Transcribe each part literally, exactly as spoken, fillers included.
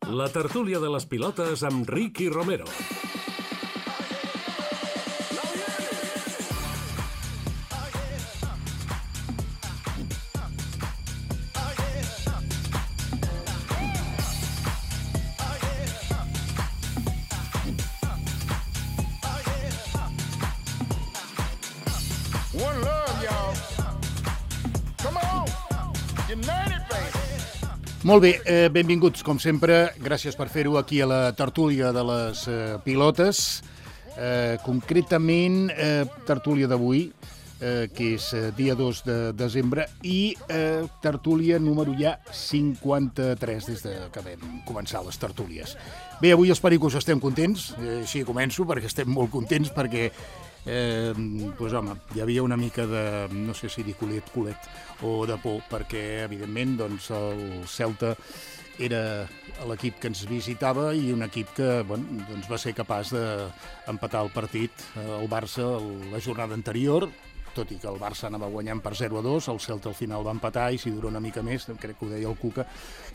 La tertúlia de les pilotes amb Ricky Romero. Molt bé, eh, benvinguts, com sempre. Gràcies per fer-ho aquí a la tertúlia de les eh, pilotes. Eh, concretament, eh, tertúlia d'avui, eh, que és eh, dia dos de desembre, i eh, tertúlia número ja cinquanta-tres, des de que vam començar les tertúlies. Bé, avui espero que us estem contents, eh, així començo, perquè estem molt contents, perquè Eh, doncs home, hi havia una mica de, no sé si dir culet, culet o de por, perquè evidentment doncs, el Celta era l'equip que ens visitava i un equip que bueno, doncs va ser capaç d'empatar el partit. El Barça la jornada anterior, tot i que el Barça anava guanyant per zero a dos, el Celta al final va empatar i si dura una mica més, crec que ho deia el Cuca,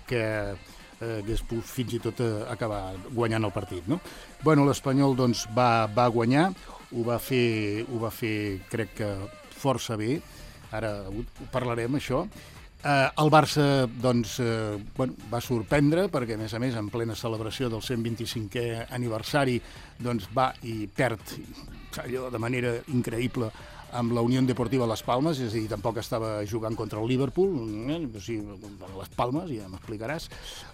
que eh, hagués pogut fins i tot eh, acabar guanyant el partit, no? Bueno, l'Espanyol doncs, va, va guanyar, ho va fer, ho va fer, crec que força bé, ara ho parlarem, això. Eh, el Barça, doncs, eh, bueno, va sorprendre, perquè, a més a més, en plena celebració del cent vint-i-cinquè aniversari, doncs va i perd allò de manera increïble amb la Unió Deportiva Las Palmas, és a dir, tampoc estava jugant contra el Liverpool, eh? O sigui, Las Palmas, ja m'explicaràs.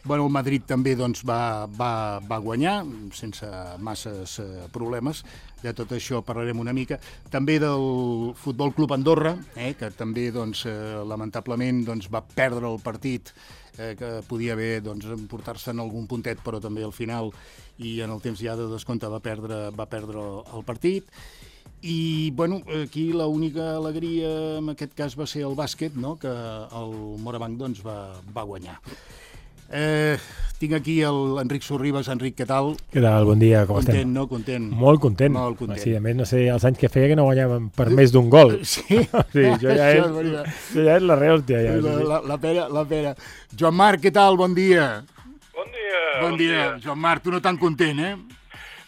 Bueno, el Madrid també doncs, va, va, va guanyar, sense masses eh, problemes. De tot això parlarem una mica. També del Futbol Club Andorra, eh, que també, doncs, eh, lamentablement, doncs, va perdre el partit, eh, que podia haver doncs, portar-se en algun puntet, però també al final, i en el temps ja de descompte, va perdre, va perdre el partit. I, bueno, aquí l'única alegria en aquest cas va ser el bàsquet, no?, que el Morabanc doncs, va, va guanyar. Eh, tinc aquí l'Enric Sorribas. Enric, què tal? Què tal? Bon dia, com content, estem? No? Content, Molt content. Molt content. Sí, a més, no sé, els anys que feia que no guanyàvem per més d'un gol. Sí? Sí, això ja és, això ja és la rehòstia. Ja, la, la, la pera, la pera. Joan Marc, què tal? Bon dia. Bon dia. Bon, bon dia. dia. Joan Marc, tu no tan content, eh?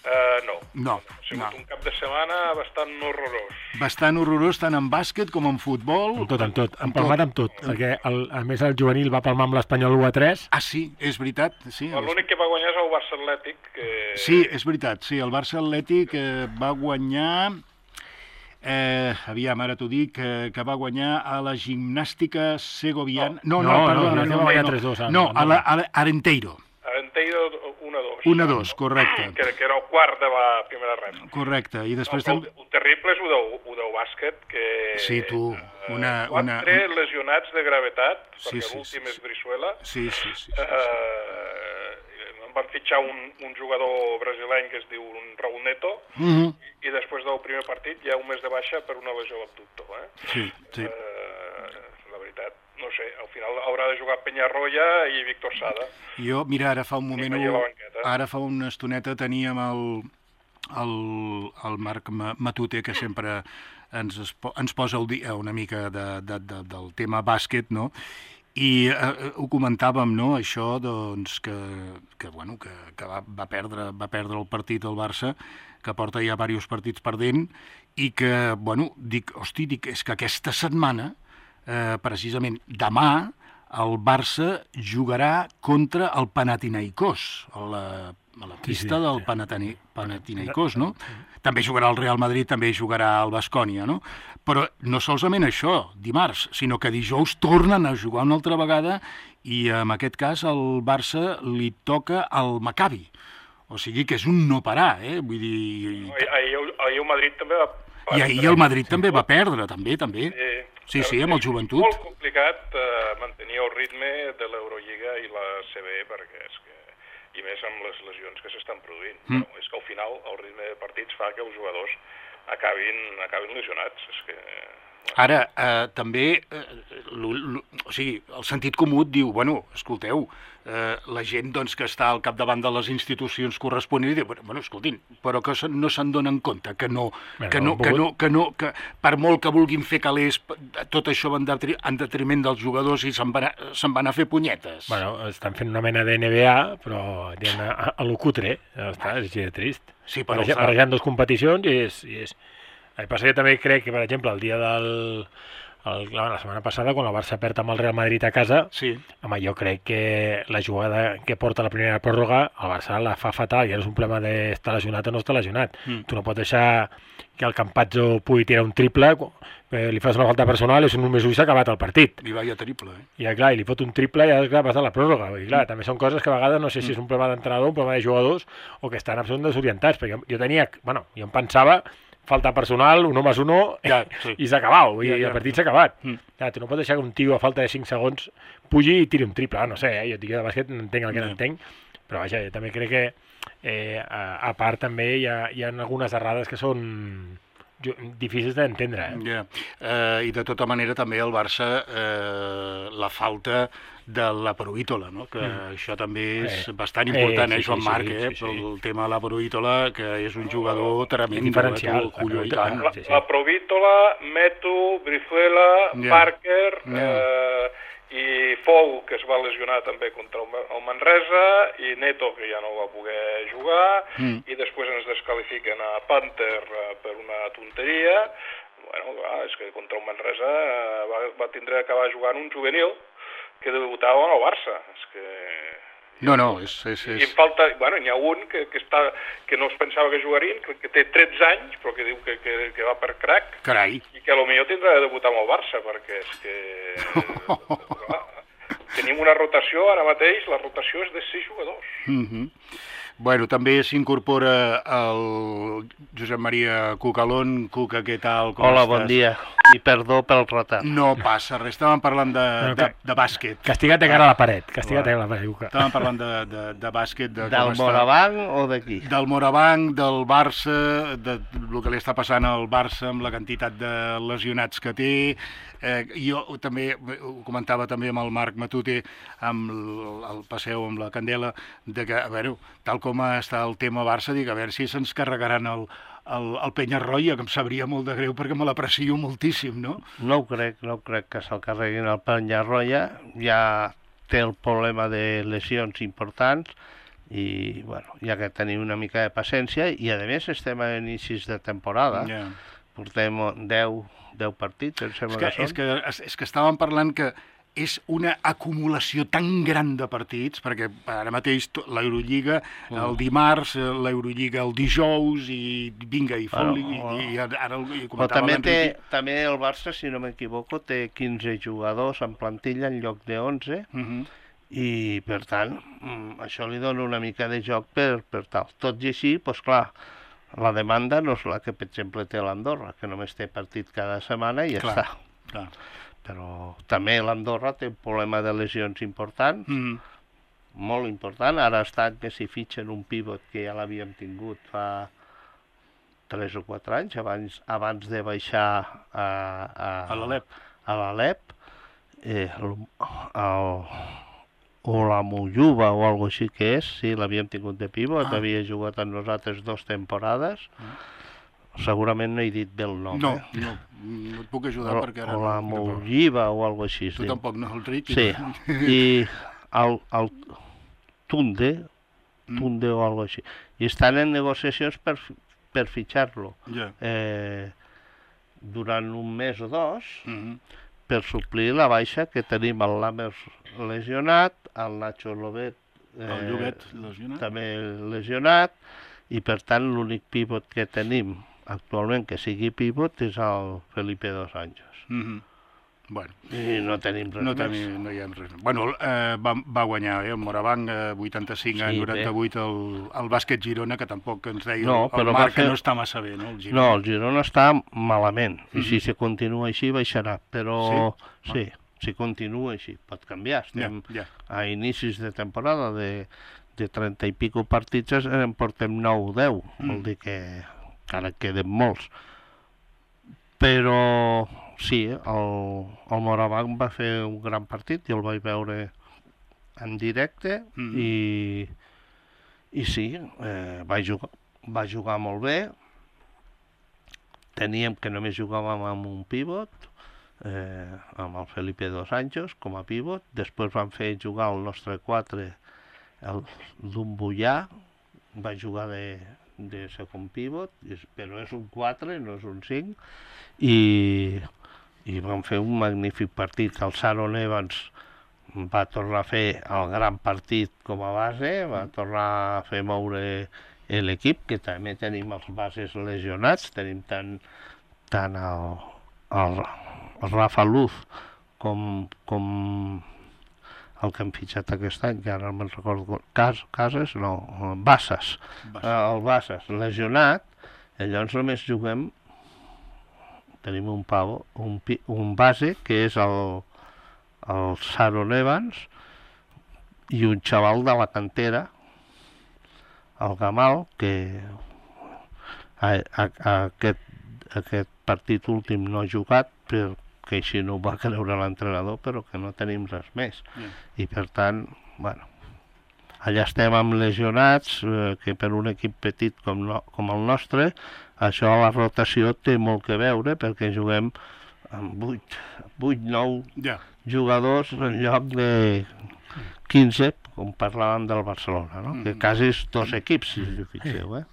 Uh, no. No. Ha sigut no. un cap de setmana bastant horrorós. Bastant horrorós, tant en bàsquet com en futbol. Amb tot, amb tot. Hem palmat amb tot, perquè el, a més el juvenil va palmar amb l'Espanyol u a tres. Ah, sí, és veritat. Sí, l'únic que va guanyar és el Barça Atlètic. Que... Sí, és veritat, sí, el Barça Atlètic eh, va guanyar... Eh, aviam, ara t'ho dic, eh, que va guanyar a la gimnàstica segoviana... No, no, no, perdona, no, no, no, no, tres dos. No, a la, a la Arenteiro. Arenteiro un a dos. un a dos, correcte. Que, que era el quart de la primera red. Correcte, i després... No, també... El terrible és ho del bàsquet, que... Sí, tu, una... Quatre una... lesionats de gravetat, sí, perquè sí, l'últim sí, és Brizuela. Sí, sí, sí. sí, sí. Uh, em van fitxar un, un jugador brasileny que es diu Raúl Neto, uh -huh. i després del primer partit hi ha un mes de baixa per una lesió a l'abductor. Eh? Sí, sí. Uh, la veritat, no sé, al final haurà de jugar Peñarroya i Víctor Sada. Jo, mira, ara fa un moment, ara fa una estoneta teníem el, el, el Marc Matute, que sempre ens, ens posa el dia una mica de, de, de, del tema bàsquet, no?, i eh, ho comentàvem, no?, això, doncs, que, que, bueno, que, que va, va, perdre, va perdre el partit el Barça, que porta ja diversos partits perdent, i que, bueno, dic, hosti, dic, és que aquesta setmana, eh, precisament demà, el Barça jugarà contra el Panathinaikos, a la, a la pista sí, sí. del Panatani, Panathinaikos, no? També jugarà el Real Madrid, també jugarà el Baskonia, no? Però no solament això, dimarts, sinó que dijous tornen a jugar una altra vegada i en aquest cas al Barça li toca el Maccabi. O sigui que és un no parar, eh? Vull dir... Ahir, ahir el Madrid també va... I ahir el Madrid també va perdre, també, també. Sí, sí, amb el Joventut. És molt complicat uh, mantenir el ritme de l'Eurolliga i la C B, perquè és que... i més amb les lesions que s'estan produint. Mm. Bueno, és que al final el ritme de partits fa que els jugadors acabin, acabin lesionats. És que Ara, eh, també, eh, l, l, o sigui, el sentit comú et diu, bueno, escolteu, eh, la gent doncs, que està al capdavant de les institucions corresponents diu, bueno, escoltin, però que no se'n donen compte, que no, que no, que no, que no, que per molt que vulguin fer calés, tot això va en detriment dels jugadors i se'n van, se'n van a fer punyetes. Bueno, estan fent una mena de N B A, però a, a lo cutre, ja està, és així de trist. Sí, però barrejant dues competicions i és... I és... El que passa que també crec que, per exemple, el dia del... El, la setmana passada, quan el Barça perd amb el Real Madrid a casa, sí. Home, jo crec que la jugada que porta la primera pròrroga, el Barça la fa fatal, ja no és un problema d'estar lesionat o no estar lesionat. Mm. Tu no pots deixar que el Campazzo pugui tirar un triple, li fas una falta personal i només s'ha acabat el partit. I va ja triple, eh? I clar, i li fot un triple i ja clar, passa la pròrroga. I clar, mm. també són coses que a vegades no sé si és un problema d'entrenador, un problema de jugadors, o que estan absolutament desorientats, perquè jo, jo tenia, bueno, jo em pensava falta personal, un home és uno, ja, sí. I s'ha acabat, i ja, ja. El partit s'ha acabat. Mm. Ja, tu no pots deixar que un tio a falta de cinc segons pugi i tiri un triple. Ah, no sé, eh? Jo dic de bàsquet, no entenc el que no entenc, però vaja, jo també crec que eh, a, a part també hi ha, hi ha algunes errades que són difícils d'entendre. Eh? Yeah. Eh, I de tota manera també el Barça, eh, la falta de la Provítola, no? Que mm. això també és eh. bastant important, eh, sí, eh Joan sí, Marc, sí, eh? Sí, sí. El tema de la Provítola, que és un jugador tremendo. Diferencial. Eh? Colló, la, la, sí, sí. la Provítola, Meto, Brizuela, yeah. Parker... Yeah. Eh, i Fou, que es va lesionar també contra el Manresa, i Neto, que ja no va poder jugar, mm. i després ens descalifiquen a Panther per una tonteria. Bueno, clar, és que contra el Manresa va, va tindre d'acabar jugant un juvenil que debutava al Barça. És que... No, no, és... és, és... I em falta... Bueno, n'hi ha un que, que, està, que no es pensava que jugarien, que, que té tretze anys, però que diu que, que, que va per crack. Carai. I que potser tindrà de debutar amb el Barça, perquè és que... clar, tenim una rotació, ara mateix, la rotació és de sis jugadors. Mhm. Bueno, també s'incorpora el Josep Maria Cucalón. Cuca, què tal? Com Hola, estàs? Bon dia. I perdó pel retard. No passa res, estàvem parlant de, no, de, de bàsquet. Castiga't de cara a la paret, castiga't de cara a la paret, Cuca. Estàvem parlant de, de, de bàsquet. De del Morabanc o d'aquí? Del Morabanc, del Barça, de el que li està passant al Barça amb la quantitat de lesionats que té. Eh, jo també ho comentava també amb el Marc Matute, amb el, el passeu amb la Candela, de que, a veure, tal com està el tema Barça, dic, a veure si se'ns carregaran el, el, el Penyarroia, que em sabria molt de greu perquè me l'aprecio moltíssim, no? No ho crec, no crec que se'l carreguin el Penyarroia, ja té el problema de lesions importants i, bueno, ja que tenim una mica de paciència i, a més, estem a inicis de temporada, yeah. Portem deu partits, em sembla que, que són. És que, és que estàvem parlant que és una acumulació tan gran de partits, perquè ara mateix l'Eurolliga el dimarts, l'Eurolliga el dijous, i vinga, i fot-li, bueno, i, i ara i però també, té, també el Barça, si no m'equivoco, té quinze jugadors en plantilla en lloc de onze, uh-huh. I per tant, això li dona una mica de joc per, per tal. Tot i així, doncs clar, la demanda no és la que, per exemple, té l'Andorra, que només té partit cada setmana i ja clar, està. Clar. Però també l'Andorra té un problema de lesions important, mm. molt important. Ara està que s'hi fitxen un pivot que ja l'havíem tingut fa tres o quatre anys, abans, abans de baixar a, a, a l'Alep. A l'Alep. Eh, el, el, o la Mojuba o alguna així que és, sí, l'havíem tingut de pivot, ah. havia jugat amb nosaltres dues temporades. Ah. Segurament no he dit bé el nom, no, eh? No, no et puc ajudar o, perquè ara... O la Mojiva o alguna així. Tu tampoc, no, el Riqui. Sí, i el, el Tunde, Tunde mm. o alguna així. I estan en negociacions per, per fitxar-lo. Yeah. Eh, durant un mes o dos, mm-hmm. per suplir la baixa que tenim el Lammers lesionat, el Nacho Lobet eh, el Llobet lesionat. També lesionat, i per tant l'únic pivot que tenim actualment que sigui pivot és el Felipe Dos Anjos. Mm-hmm. Bueno, i no tenim res no més. Tenim, no hi ha res. Bueno, eh, va, va guanyar eh, el Morabanc eh, vuitanta-cinc a sí, noranta-vuit el, el bàsquet Girona, que tampoc ens deia no, el, el Marc fer... que no està massa bé, no? El Girona. No, el Girona està malament, mm-hmm. i si se continua així baixarà, però sí, sí ah. si continua així, pot canviar. Estem yeah, yeah. a inicis de temporada de, de trenta i pico partits, en portem nou o deu, mm. vol dir que encara queden molts. Però sí, el, el Morabanc va fer un gran partit, jo el vaig veure en directe mm. i, i sí, eh, va, jugar, va jugar molt bé. Teníem que només jugàvem amb un pivot, eh, amb el Felipe Dos Anjos com a pivot. Després van fer jugar el nostre quatre, el Dumbullà, va jugar de, de segon pivot, però és un quatre, no és un cinc, i, i van fer un magnífic partit. El Sharon Evans va tornar a fer el gran partit com a base, va tornar a fer moure l'equip, que també tenim els bases lesionats, tenim tant, tant el, el, el Rafa Luz com, com el que hem fitxat aquest any, que ara no me'n recordo, Cas, Cases, no, Bassas, Bassas. El Bassas lesionat, llavors només juguem, tenim un pavo, un, un base, que és el, el Sharon Evans, i un xaval de la cantera, el Gamal, que a, a, a aquest, aquest partit últim no ha jugat, perquè així no ho va creure l'entrenador, però que no tenim res més. Yeah. I per tant, bueno, allà estem amb lesionats, eh, que per un equip petit com, no, com el nostre, això a la rotació té molt que veure, perquè juguem amb vuit, vuit nou yeah. jugadors en lloc de quinze, com parlàvem del Barcelona, no? Mm. Que quasi és dos equips, si us fixeu, eh?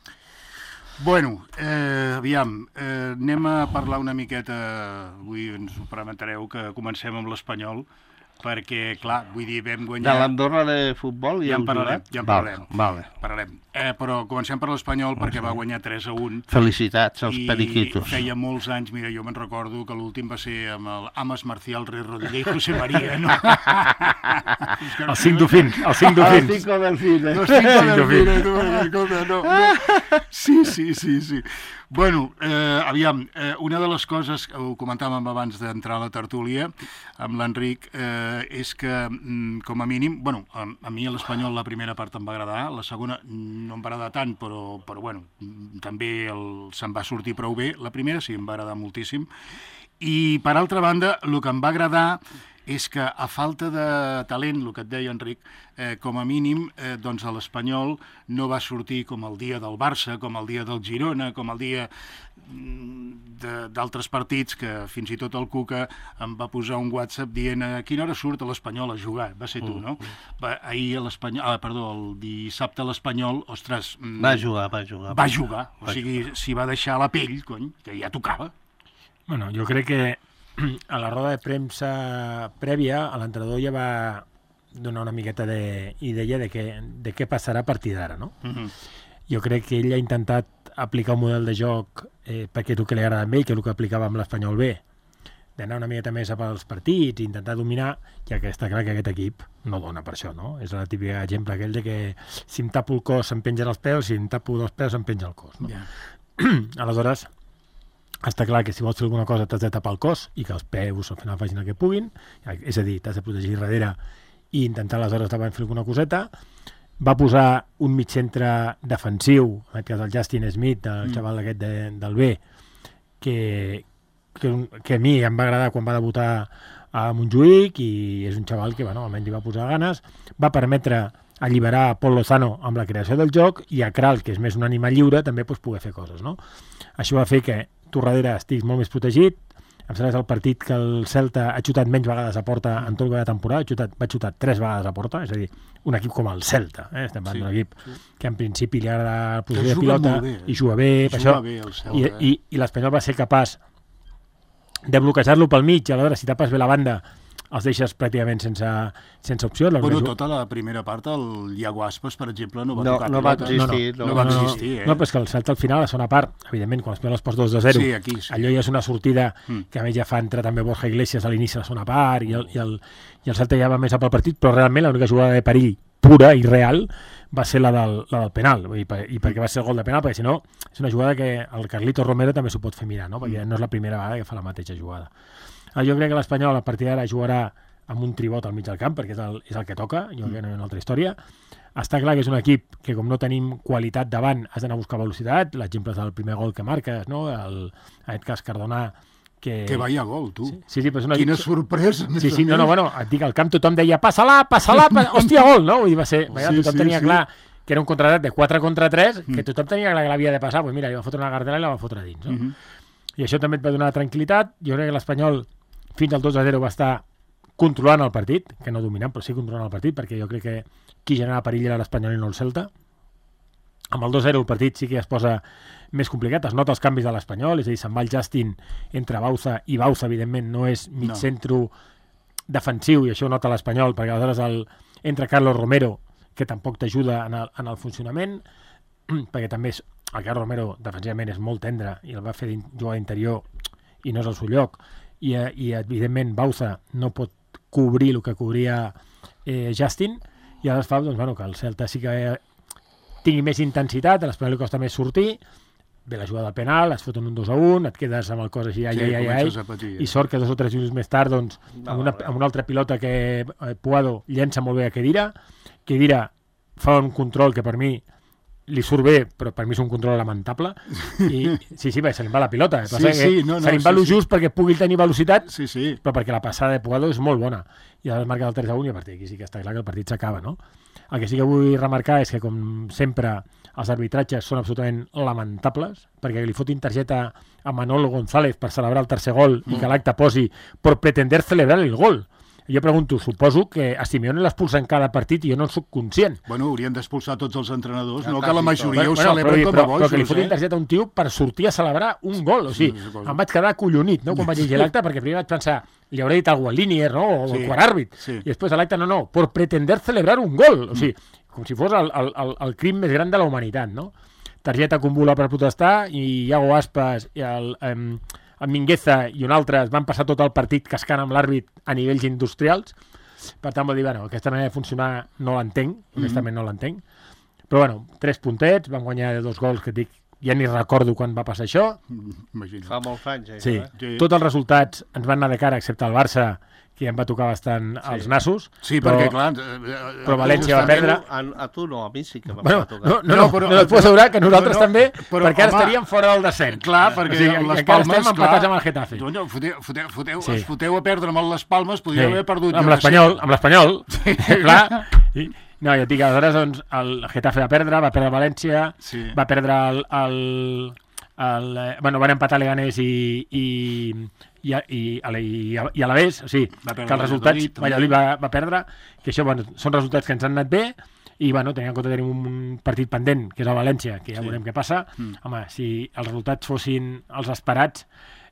Bueno, eh, aviam, eh, anem a parlar una miqueta, avui ens ho permetreu que comencem amb l'Espanyol, perquè, clar, vull dir, vam guanyar... De l'Andorra de futbol ja en parlarem, ja en parlarem. Vale, vale. parlarem. Eh, però comencem per l'Espanyol perquè va guanyar tres a un. Felicitats als periquitos. I feia molts anys, mira, jo me'n recordo que l'últim va ser amb el Amas Marcial, Rey Rodríguez i José María, no? El cinc d'Ofins, el cinc d'Ofins. El cinc d'Ofins. El cinc d'Ofins, tu, escolta, no, no. Sí, sí, sí, sí. Bueno, eh, aviam, eh, una de les coses, ho comentàvem abans d'entrar a la tertúlia amb l'Enric, eh, és que, mm, com a mínim, bueno, a, a mi a l'Espanyol la primera part em va agradar, la segona no em va agradar tant, però, però bueno, també el, se'm va sortir prou bé. La primera sí, em va agradar moltíssim. I, per altra banda, el que em va agradar és que, a falta de talent, el que et deia, Enric, eh, com a mínim, eh, doncs a l'Espanyol no va sortir com el dia del Barça, com el dia del Girona, com el dia d'altres partits, que fins i tot el Cuca em va posar un WhatsApp dient a quina hora surt a l'Espanyol a jugar. Va ser tu, no? Va, ahir a l'Espanyol, ah, perdó, el dissabte a l'Espanyol, ostres... Va jugar, va jugar. Va jugar, o sigui, s'hi va deixar la pell, cony, que ja tocava. Bueno, jo crec que a la roda de premsa prèvia l'entrenador ja va donar una miqueta d'idea de, de, de què passarà a partir d'ara, no? Uh-huh. Jo crec que ell ha intentat aplicar un model de joc eh, perquè tu que li agrada a ell, que és el que aplicava amb l'Espanyol B, d'anar una miqueta més a pels partits, intentar dominar, ja que està clar que aquest equip no dona per això, no? És el típic exemple aquell de que si em tapo el cos se'm pengen els peus, si em tapo dels peus se'm penja el cos, no? Yeah. Aleshores, està clar que si vols fer alguna cosa t'has de tapar el cos i que els peus al final facin el que puguin, és a dir, t'has de protegir darrere i intentar aleshores davant fer alguna coseta. Va posar un mig centre defensiu, en aquest cas el Justin Smith, el mm. xaval aquest de, del B, que, que, que a mi em va agradar quan va debutar a Montjuïc i és un xaval que, bueno, almenys hi va posar ganes. Va permetre alliberar Pol Lozano amb la creació del joc i a Kral, que és més un animal lliure, també pues, poder fer coses, no? Això va fer que tu darrere estiguis molt més protegit. Em sembla que és el partit que el Celta ha xutat menys vegades a porta en tot el que va de temporada, ha xutat, va xutar tres vegades a porta, és a dir, un equip com el Celta, eh? Estem parlant sí, d'un equip sí. que en principi li agrada la posició de pilota bé, eh? i juga bé, per això, bé Celta, i, eh? i, i l'Espanyol va ser capaç de bloquejar-lo pel mig, i aleshores si tapes bé la banda els deixes pràcticament sense, sense opció. Bueno, ju... tota la primera part, el Iago Aspas, per exemple, no va no, tocar no va existir. No, no, no, no va existir, eh? No, però és que el Celta al final, a la segona part, evidentment, quan l'Espanyol es posa dos a zero, sí, aquí, sí. allò ja és una sortida mm. que a més ja fa entrar també Borja Iglesias a l'inici de la segona part, i el, i el, i el Celta ja va més a pel partit, però realment l'única jugada de perill pura i real va ser la del, la del penal, i, per, i perquè va ser el gol de penal, perquè si no, és una jugada que el Carlito Romero també s'ho pot fer mirar, no? Perquè no és la primera vegada que fa la mateixa jugada. Jo crec que l'Espanyol a partir d'ara jugarà amb un tribot al mig del camp, perquè és el, és el que toca, jo crec que no hi ha una altra història. Està clar que és un equip que, com no tenim qualitat davant, has d'anar a buscar velocitat, l'exemple del primer gol que marques, no? El, en aquest cas Cardona, Que, que vaya gol, tu. Sí, sí, però és una... Quina sorpresa. Sí, sí, no, no, bueno, et dic, al camp tothom deia passa-la, passa-la, passa... hòstia, gol, no? I va ser, vaja, sí, tothom sí, tenia sí. clar que era un contratat de quatre contra tres, que tothom tenia clar que l'havia de passar, doncs mira, li va fotre una gardela i la va fotre dins, no? Uh -huh. I això també et va donar tranquil·litat. Jo crec que l'Espanyol fins al dos a zero va estar controlant el partit, que no dominant, però sí controlant el partit, perquè jo crec que qui generava perill era l'Espanyol i no el Celta. Amb el dos a zero el partit sí que es posa més complicat, es nota els canvis de l'Espanyol, és a dir, se'n va el Justin entre Bauza, i Bauza, evidentment, no és mig centre no. defensiu, i això ho nota l'Espanyol, perquè aleshores el, entra Carlos Romero, que tampoc t'ajuda en, el, en el funcionament, perquè també és, el Carlos Romero defensivament és molt tendre, i el va fer jugar d'interior, i no és el seu lloc, i, i evidentment Bauza no pot cobrir el que cobria eh, Justin, i aleshores fa doncs, bueno, que el Celta sí que tingui més intensitat, a l'Espanyol li costa més sortir, ve la jugada del penal, es foten un dos a un, et quedes amb el cos així, ai, sí, ai, ai, ai, patir, i sort que dos o tres minuts més tard, doncs, no, amb, una, amb una altra pilota que eh, Puado llença molt bé a Khedira, Khedira fa un control que per mi li surt bé, però per mi és un control lamentable, i sí, sí, bé, se li va la pilota, sí, sí, no, no, se li va sí, lo sí. just perquè pugui tenir velocitat, sí, sí. però perquè la passada de Puado és molt bona, i ara es marca el tres a un, i a partir d'aquí sí que està clar que el partit s'acaba, no? El que sí que vull remarcar és que, com sempre, els arbitratges són absolutament lamentables, perquè li fotin targeta a Manolo González per celebrar el tercer gol mm. i que l'acte posi per pretender celebrar el gol. Jo pregunto, suposo que a Simeone l'expulsen cada partit i jo no en soc conscient. Bueno, haurien d'expulsar tots els entrenadors, ja no que la majoria bueno, ho celebren però, com però, a bojos. Però que li fotin eh? targeta a un tio per sortir a celebrar un gol. O sigui, sí, em vaig quedar acollonit, no?, quan vaig llegir l'acte, perquè primer vaig pensar, li hauré dit algú al Linier, no?, o al sí, quart àrbit. Sí. I després a l'acte, no, no, per pretender celebrar un gol. O sigui, com si fos el, el, el, el crim més gran de la humanitat, no? Targeta convola per protestar, i Iago Aspas i el, um, el Mingueza i un altre es van passar tot el partit cascant amb l'àrbit a nivells industrials. Per tant, vol dir, bueno, aquesta manera de funcionar no l'entenc, honestament no l'entenc. Però, bueno, tres puntets, van guanyar dos gols que et dic, ja ni recordo quan va passar això. Imagina. Fa molts anys, eh? Sí. sí, tots els resultats ens van anar de cara, excepte el Barça, que ja em va tocar bastant sí. els nassos. Sí, però, perquè, clar... Però València va perdre... A, a tu no, a mi sí que va bueno, tocar. No, no, no, no, però, no et puc assegurar que nosaltres no, no, també, però, perquè ara home, estaríem fora del descens. Clar, perquè o sigui, les Palmes... estem empatats amb el Getafe. No, foteu, foteu, foteu, sí. es foteu a perdre amb les Palmes, podria sí. haver perdut... Amb l'Espanyol, amb l'Espanyol, sí. clar. I, no, ja et dic, aleshores, doncs, el Getafe va perdre, va perdre València, sí. va perdre el... el El, bueno, van empatar Leganés i, i, i, i, i, i Alavés, o sigui, que els resultats Valladolid va, va perdre, que això, bueno, són resultats que ens han anat bé, i, bueno, tenint en compte que tenim un partit pendent, que és el València, que ja sí. veurem què passa, mm. home, si els resultats fossin els esperats,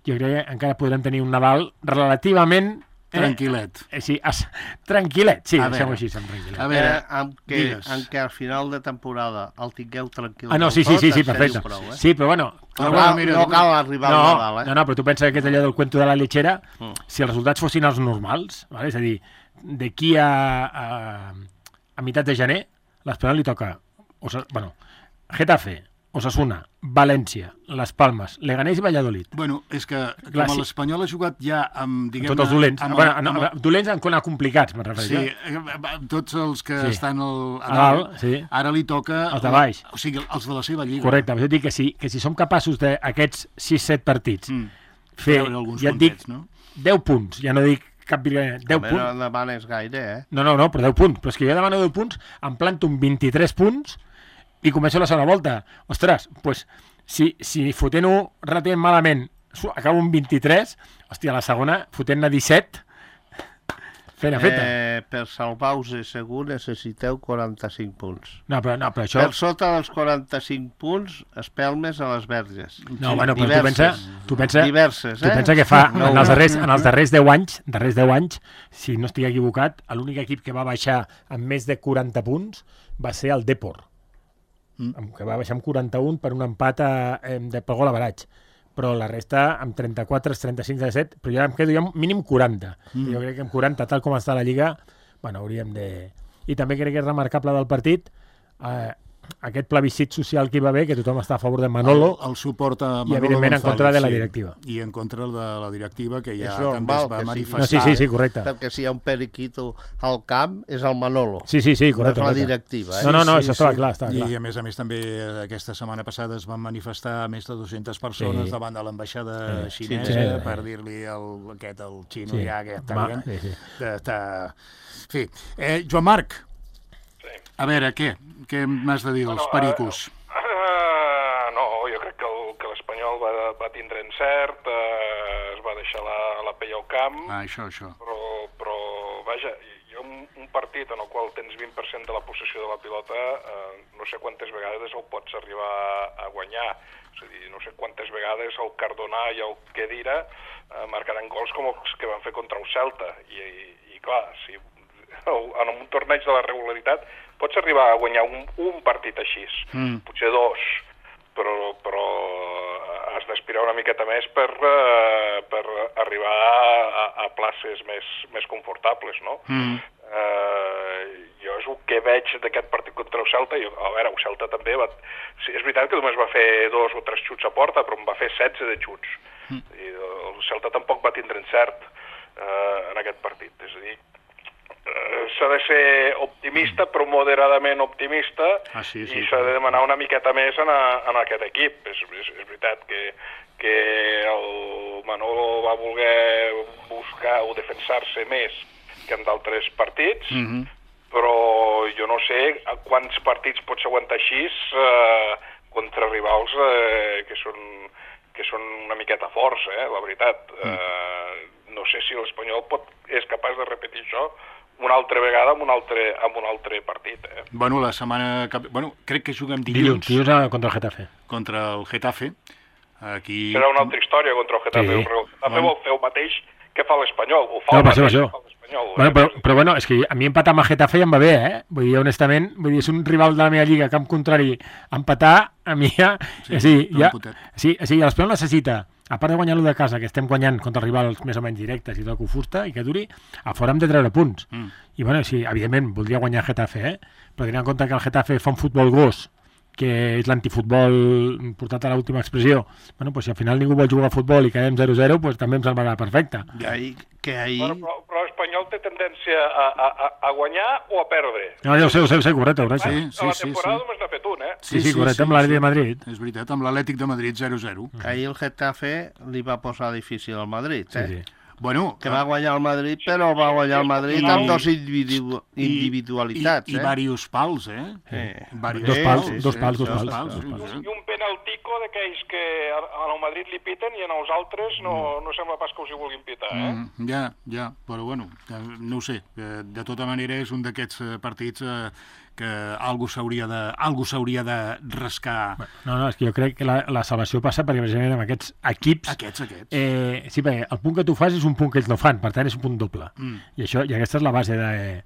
jo crec que encara podrem tenir un Nadal relativament... Tranquil·let. Eh, sí, as, tranquil·let, sí, deixem-ho així, amb tranquil·let. A veure, amb que, amb que al final de temporada el tingueu tranquil. Ah, no, sí, sí, sí, sí, perfecte. Prou, eh? Sí, però bueno... No, no, mira, no cal arribar no, al Nadal, eh? No, no, però tu pensa que és allò del cuento de la lechera, mm. si els resultats fossin els normals, vale? És a dir, d'aquí a, a, a meitat de gener, l'Espanyol li toca, o sea, bueno, Getafe, Osasuna, València, Les Palmes, Leganés i Valladolid. Bueno, és que com a l'Espanyol ha jugat ja amb, diguem-ne... Tots els dolents. Amb, bueno, amb, amb, amb, dolents en complicats, me'n refereixo. Sí, tots els que sí. estan al, a dalt, sí. ara li toca... Els de baix. O sigui, els de la seva lliga. Correcte, però jo dic que si, que si som capaços d'aquests sis set partits mm. fer, ja et dic, no? deu punts, ja no dic cap virganya, deu punts. No demanes gaire, eh? No, no, no, però deu punts. Però és que jo demano deu punts, em planto un vint-i-tres punts i començo la segona volta. Ostres, doncs, pues, si, si fotent-ho relativament malament acabo un vint-i-tres, hòstia, la segona, fotent-ne disset, fena feta. Eh, per salvar-vos segur necessiteu quaranta-cinc punts. No, però, no, però això... Per sota dels quaranta-cinc punts, espelmes a les verges. No, bueno, però tu pensa... Tu pensa, diverses, eh? Tu pensa que fa, no, en els darrers, en els darrers deu anys, darrers deu anys, si no estic equivocat, l'únic equip que va baixar amb més de quaranta punts va ser el Depor, mm. que va baixar amb quaranta-un per un empat a, eh, de per gol a baratge. Però la resta amb trenta-quatre, trenta-cinc, trenta-set, però ja em quedo ja mínim quaranta. Mm. Jo crec que amb quaranta, tal com està la Lliga, bueno, hauríem de... I també crec que és remarcable del partit, eh, aquest plebiscit social que hi va haver, que tothom està a favor de Manolo, el, el suport a Manolo i evidentment en contra de la directiva. Sí, i en contra de la directiva, que ja és també normal, es va que manifestar. No, sí, sí, sí, correcte. Perquè si hi ha un periquito al camp, és el Manolo. Sí, sí, sí, correcte. No és la correcte. directiva. Eh? No, no, no, Sí, això sí, estava sí. clar, estava clar. I a més a més també aquesta setmana passada es van manifestar més de dues-centes persones Sí. davant de l'ambaixada Sí. xinesa Sí, sí. per dir-li el, aquest, el xino, Sí. ja, que està Va, bien. sí, sí. Està... En fi, eh, Joan Marc, Sí. a veure, què? Què m'has de dir dels Bueno, pericos? Uh, uh, no, jo crec que el- que l'Espanyol va, va tindre encert, uh, es va deixar la, la pell al camp, Ah, això, això. però, però vaja, jo un, un partit en el qual tens vint per cent de la possessió de la pilota, uh, no sé quantes vegades el pots arribar a guanyar. És a dir, no sé quantes vegades el Cardona i el Khedira uh, marcaran gols com els que van fer contra el Celta. I, i, i clar, si en un torneig de la regularitat pots arribar a guanyar un, un partit així, mm. potser dos, però, però has d'aspirar una miqueta més per, uh, per arribar a, a places més, més confortables, no? Mm. Uh, jo és el que veig d'aquest partit contra el Celta. Jo, a veure, el Celta també va... Sí, és veritat que només va fer dos o tres xuts a porta, però en va fer setze de xuts. Mm. I el Celta tampoc va tindre encert uh, en aquest partit. És a dir, uh, s'ha de ser optimista, però moderadament optimista, Ah, sí, sí, i s'ha de demanar una miqueta més en, a, en aquest equip. És, és, és veritat que, que el Manolo va voler buscar o defensar-se més que en d'altres partits, Mhm. però jo no sé a quants partits pots aguantar així eh, contra rivals eh, que, són, que són una miqueta forts, eh, la veritat. Mm. Eh, no sé si l'Espanyol pot, és capaç de repetir això una altra vegada amb un altre, amb un altre partit. Eh. Bueno, la setmana... Que... Bueno, crec que juguem dilluns, Dilluns, dilluns a- contra el Getafe. contra el Getafe. Aquí... Serà una altra història contra el Getafe. Sí. El Getafe Bueno. vol fer el mateix que fa l'Espanyol. Ho fa No, el per això, mateix per això. que fa l'Espanyol. Bueno, però, però bueno, és que a mi empatar amb el Getafe ja em va bé, eh? Vull dir, honestament, vull dir, és un rival de la meva lliga, camp contrari, empatar, a mi ja... Sí, Sí, un ja, potet. sí, sí, l'Espanyol necessita, a part de guanyar-lo de casa, que estem guanyant contra rivals més o menys directes i tot que ho fusta i que duri, a fora hem de treure punts. Mm. I bueno, sí, evidentment, voldria guanyar el Getafe, eh? Però tenint en compte que el Getafe fa un futbol gos, que és l'antifutbol portat a l'última expressió, bueno, pues si al final ningú vol jugar a futbol i quedem zero zero, pues també em semblarà perfecte. Que ahir, que ahir... Bueno, però, però l'Espanyol té tendència a, a, a, a guanyar o a perdre. No, ja ho sé, ho sé, ho sé, correcte, correcte. Sí, A la sí, temporada sí. només n'ha fet un, eh? Sí, sí, correcte, amb l'Atlètic de Madrid. És veritat, amb l'Atlètic de Madrid zero zero. Que ahir el Getafe li va posar difícil al Madrid, eh? Sí, sí. Bueno, Que va guanyar el Madrid, però va guanyar el Madrid amb dos individu individualitats, i, i, i eh? diversos pals, eh? Eh. Diversos Dos pals, pals, dos eh? pals, dos Dos pals, pals, dos sí, pals. sí. I un penaltico d'aquells que a- al Madrid li piten i en els altres no, no sembla pas que els hi vulguin pitar, eh? Mm, ja, ja, però bueno, eh, no ho sé. Eh, De tota manera és un d'aquests eh, partits eh, que algú s'hauria de, algú s'hauria de rascar. No, no, és que jo crec que la, la salvació passa perquè precisament amb aquests equips... Aquests, aquests. Eh, sí, perquè el punt que tu fas és un punt que ells no fan, per tant és un punt doble. Mm. I, això, i aquesta és la base de,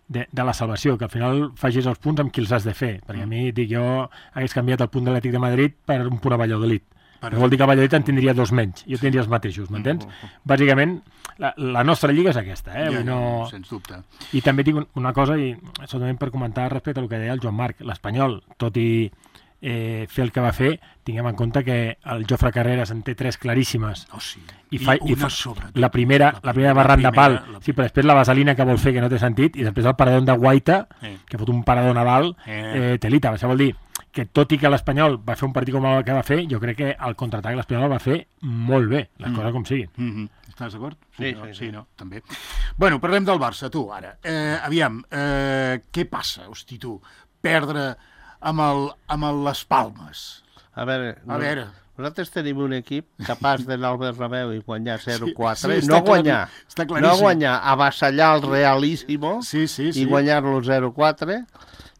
de, de la salvació, que al final facis els punts amb qui els has de fer. Perquè a mi, dic, jo hagués canviat el punt de l'Atlètic de Madrid per un punt a Valladolid. Per Per vol dir que a Valladolid en tindria dos menys. Jo tindria els mateixos, m'entens? Bàsicament, la, la nostra lliga és aquesta, eh? Ja, Vull dir, no... sens dubte. I també tinc un- una cosa, i solament per comentar respecte al que deia el Joan Marc, l'Espanyol, tot i eh, fer el que va fer, tinguem en compte que el Jofre Carreras en té tres claríssimes. Oh, sí. I, fa, i una fa, sobretot. la primera, la primera barran de pal, sí, però després la vaselina que vol fer que no té sentit, i després el paradón de Guaita, Eh. que fot un paradón a dalt, Eh. eh, telita. Això vol dir que tot i que l'Espanyol va fer un partit com el que va fer, jo crec que el contraatac l'Espanyol el va fer molt bé, les Mm. coses com siguin. Mm -hmm. Estàs d'acord? Sí, no? sí, sí, sí. no? També. Bueno, parlem del Barça, tu, ara. Eh, aviam, eh, què passa, hosti, tu? Perdre amb, el, amb el Les Palmes. A veure, A veure. nosaltres tenim un equip capaç d'anar al Bernabéu i guanyar zero quatre, Sí, sí, no està clar- guanyar, està no claríssim. guanyar, avassallar el Realíssimo Sí, sí, sí. i guanyar-lo zero quatre,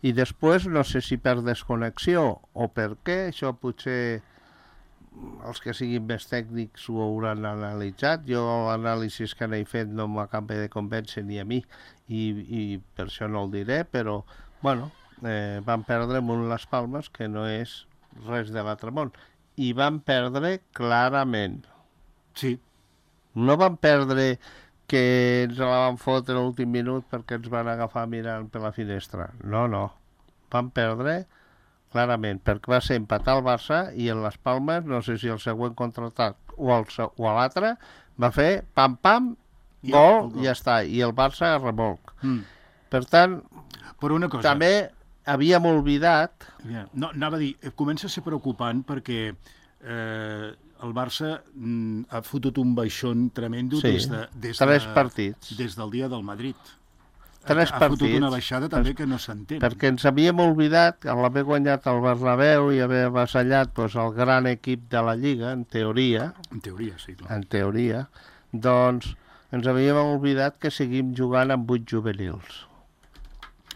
i després no sé si per desconnexió o per què, això potser els que siguin més tècnics ho hauran analitzat. Jo l'anàlisi que n'he fet no m'acaba de convèncer ni a mi, i, i per això no el diré, però bueno, eh, van perdre amb un Les Palmes que no és res de l'altre món, i van perdre clarament. Sí. No van perdre que ens la van fotre a l'últim minut perquè ens van agafar mirant per la finestra. No, no. Van perdre clarament, perquè va ser empatar el Barça i en les Palmes, no sé si el següent contraatac o, el, o l'altre, va fer pam-pam, gol, gol, i ja està, i el Barça remolc. Mm. Per tant, però una cosa, també havíem oblidat... No, anava a dir, comença a ser preocupant perquè eh, el Barça mm, ha fotut un baixón tremendo sí, des, de, des, tres de, partits. des del dia del Madrid. Tres ha, ha partits. fotut una baixada també que no s'entén. Perquè ens havíem oblidat, a l'haver guanyat el Bernabéu i haver avassallat doncs, el gran equip de la Lliga, en teoria, en teoria, sí, clar. En teoria, doncs ens havíem oblidat que seguim jugant amb vuit juvenils.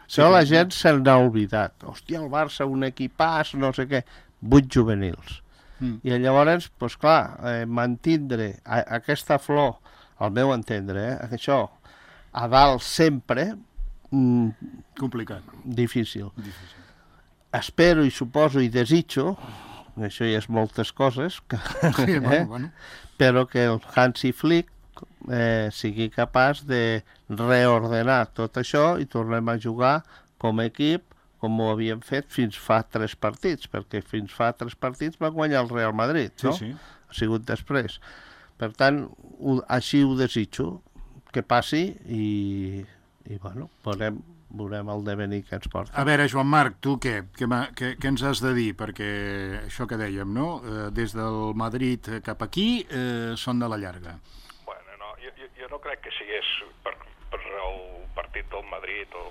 Sí, Això la gent se'n ha oblidat. Hòstia, el Barça, un equipàs, no sé què, vuit juvenils. Mm. I llavors, doncs clar, eh, mantindre a, aquesta flor, al meu entendre, eh, això, a dalt sempre... Mm, complicat. Difícil. Difícil. Espero i suposo i desitjo, això ja és moltes coses, que, sí, eh, bueno, bueno. però que el Hansi Flick eh, sigui capaç de reordenar tot això i tornem a jugar com a equip com ho havíem fet fins fa tres partits, perquè fins fa tres partits va guanyar el Real Madrid, no? Sí, sí. Ha sigut després. Per tant, ho, així ho desitjo, que passi i, i bueno, veurem, veurem el devenir que ens porta. A veure, Joan Marc, tu què? Què, què, què ens has de dir? Perquè això que dèiem, no? Eh, des del Madrid cap aquí eh, són de la llarga. Bueno, no, jo, jo, jo no crec que sigués per, per el partit del Madrid o...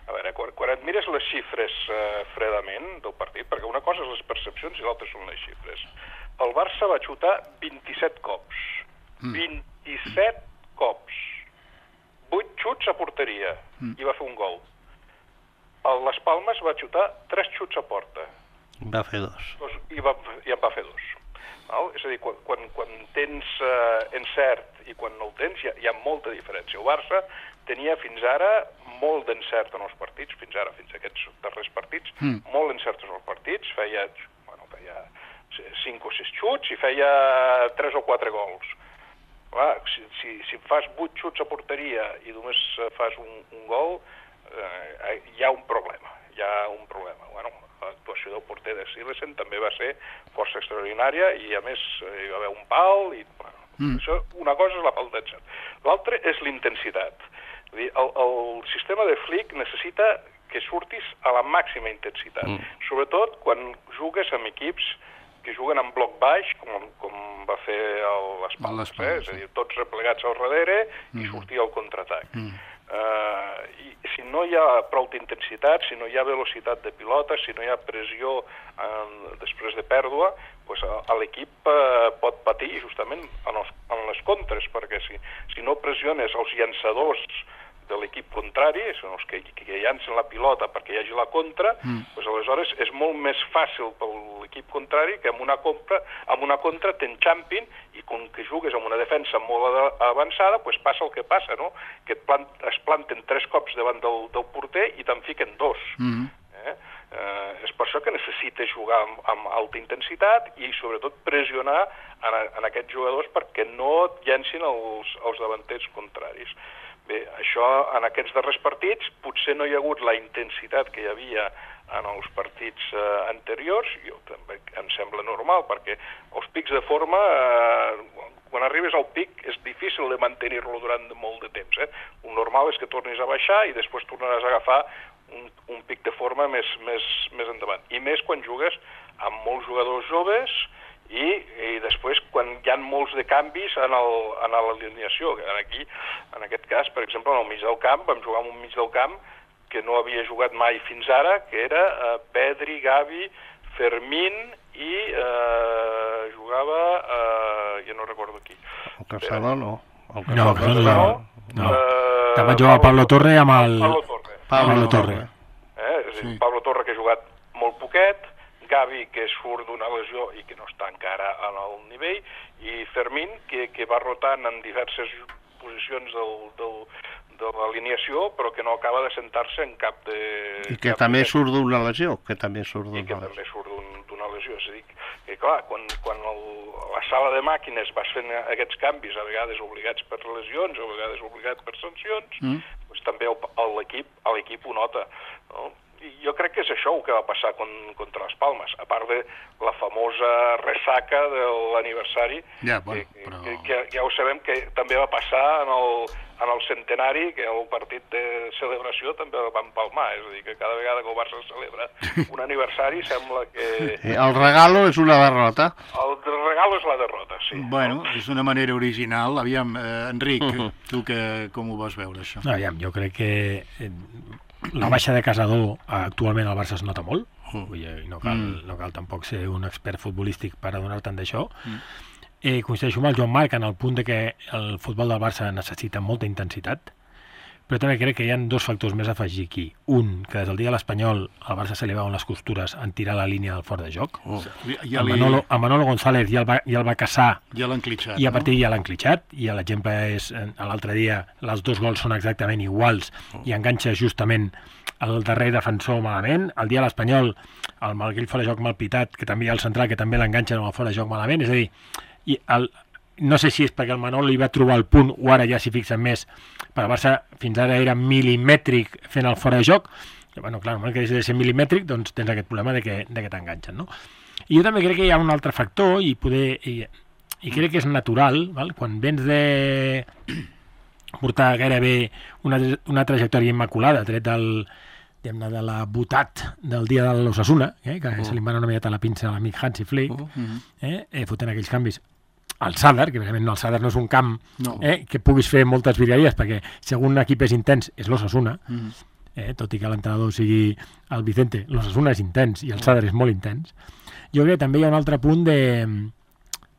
A veure, quan, quan et mires les xifres eh, fredament del partit, perquè una cosa és les percepcions i l'altra són les xifres, el Barça va xutar vint-i-set cops. Mm. vint-i-set cops. vuit xuts a porteria mm. i va fer un gol. El Las Palmes va xutar tres xuts a porta. Va fer dos. dos I, va, I en va fer dos. Val? És a dir, quan, quan, quan tens eh, encert i quan no el tens hi ha, hi ha molta diferència. El Barça tenia fins ara molt d'encert en els partits, fins ara, fins a aquests darrers partits, mm. molt encert en els partits, feia, bueno, feia cinc o sis xuts i feia tres o quatre gols. Clar, si, si, si fas vuit xuts a porteria i només fas un, un gol, eh, hi ha un problema, hi ha un problema. Bueno, l'actuació del porter de Silesen també va ser força extraordinària i a més hi va haver un pal i, bueno, mm. això, una cosa és la falta d'encert. L'altra és l'intensitat. El, el sistema de Flick necessita que surtis a la màxima intensitat, mm. sobretot quan jugues amb equips que juguen en bloc baix, com, com va fer les Palmes, eh? És a dir, tots replegats al darrere mm. i sortir al contraatac. Mm. Uh, i si no hi ha prou d'intensitat, si no hi ha velocitat de pilota, si no hi ha pressió en, després de pèrdua, pues, l'equip uh, pot patir justament en, els, en les contres, perquè si, si no pressiones els llançadors de l'equip contrari, són els que, que llancen la pilota perquè hi hagi la contra, mm. pues aleshores és molt més fàcil per l'equip contrari que amb una, compra, amb una contra t'enxampin i com que jugues amb una defensa molt avançada, pues passa el que passa, no? Que et plant, es planten tres cops davant del, del porter i te'n fiquen dos. Mm. Eh? Eh, és per això que necessites jugar amb, amb alta intensitat i sobretot pressionar en, en aquests jugadors perquè no et llencin els, els davanters contraris. Bé, això en aquests darrers partits potser no hi ha hagut la intensitat que hi havia en els partits eh, anteriors, jo també em sembla normal, perquè els pics de forma, eh, quan arribes al pic és difícil de mantenir-lo durant molt de temps. Eh? El normal és que tornis a baixar i després tornaràs a agafar un, un pic de forma més, més, més endavant. I més quan jugues amb molts jugadors joves i, i després quan hi ha molts de canvis en l'alineació. Aquí, en aquest cas, per exemple, en el mig del camp, vam jugar en un mig del camp que no havia jugat mai fins ara, que era eh, Pedri, Gavi, Fermín i eh, jugava, eh, ja no recordo qui. El Castelló no. El Castelló no, Castelló no. no. Eh, També jugar Pablo Torre amb el... Pablo Torre. Pablo, Pablo Torre. Eh? És a dir, sí. Pablo Torre que ha jugat molt poquet, Gavi que surt d'una lesió i que no està encara en el nivell, i Fermín que, que va rotant en diverses posicions del, del, de l'alineació, però que no acaba de sentar-se en cap de... I que també de... surt d'una lesió, que també surt d'una lesió. I que també surt d'una lesió. És a dir, que clar, quan, quan el, la sala de màquines vas fent aquests canvis, a vegades obligats per lesions, a vegades obligats per sancions, mm. doncs també l'equip l'equip ho nota, no? jo crec que és això el que va passar con, contra les Palmes, a part de la famosa ressaca de l'aniversari, ja, bueno, que, però... que, que ja ho sabem que també va passar en el, en el centenari, que el partit de celebració també el van palmar, és a dir, que cada vegada que el Barça celebra un aniversari sembla que... El regalo és una derrota. El regalo és la derrota, sí. Bueno, és una manera original. Aviam, eh, Enric, uh-huh. tu que, com ho vas veure, això? Aviam, jo crec que la baixa de Casador actualment al Barça es nota molt. Vull dir, no cal, mm. no cal tampoc ser un expert futbolístic per adonar-te'n d'això. Mm. Eh, coincideixo amb el Joan Marc en el punt de que el futbol del Barça necessita molta intensitat, però també crec que hi ha dos factors més a afegir aquí. Un, que des del dia de l'Espanyol el Barça se li veuen les costures en tirar la línia del fort de joc. Oh. Ja li... el, Manolo, el Manolo González ja el va, ja el va caçar ja l'han clitxat, i a partir no? ja l'han clitxat, i l'exemple és l'altre dia, els dos gols són exactament iguals oh. i enganxa justament el darrer defensor malament. El dia de l'Espanyol, el Malguell fora de joc mal pitat, que també hi ha el central, que també l'enganxa amb el fora de joc malament. És a dir, i el, no sé si és perquè el Manol li va trobar el punt, o ara ja s'hi fixen més, però el Barça fins ara era milimètric fent el fora de joc. I, bueno, clar, no que deixa de ser milimètric, doncs tens aquest problema de que, de que t'enganxen, no? I jo també crec que hi ha un altre factor, i poder i, i crec que és natural, val? Quan vens de portar gairebé una, una trajectòria immaculada, tret del de la botat del dia de l'Osasuna, eh, que uh. se li va una miqueta la pinça a l'amic Hansi Flick, uh -huh. eh, eh, fotent aquells canvis. El Sadar, que realment no, el Sadar no és un camp no. eh, que puguis fer moltes virgueries, perquè si algun equip és intens és l'Osasuna, uh -huh. eh, tot i que l'entrenador sigui el Vicente, l'Osasuna és intens i el Sadar és molt intens. Jo crec que també hi ha un altre punt de,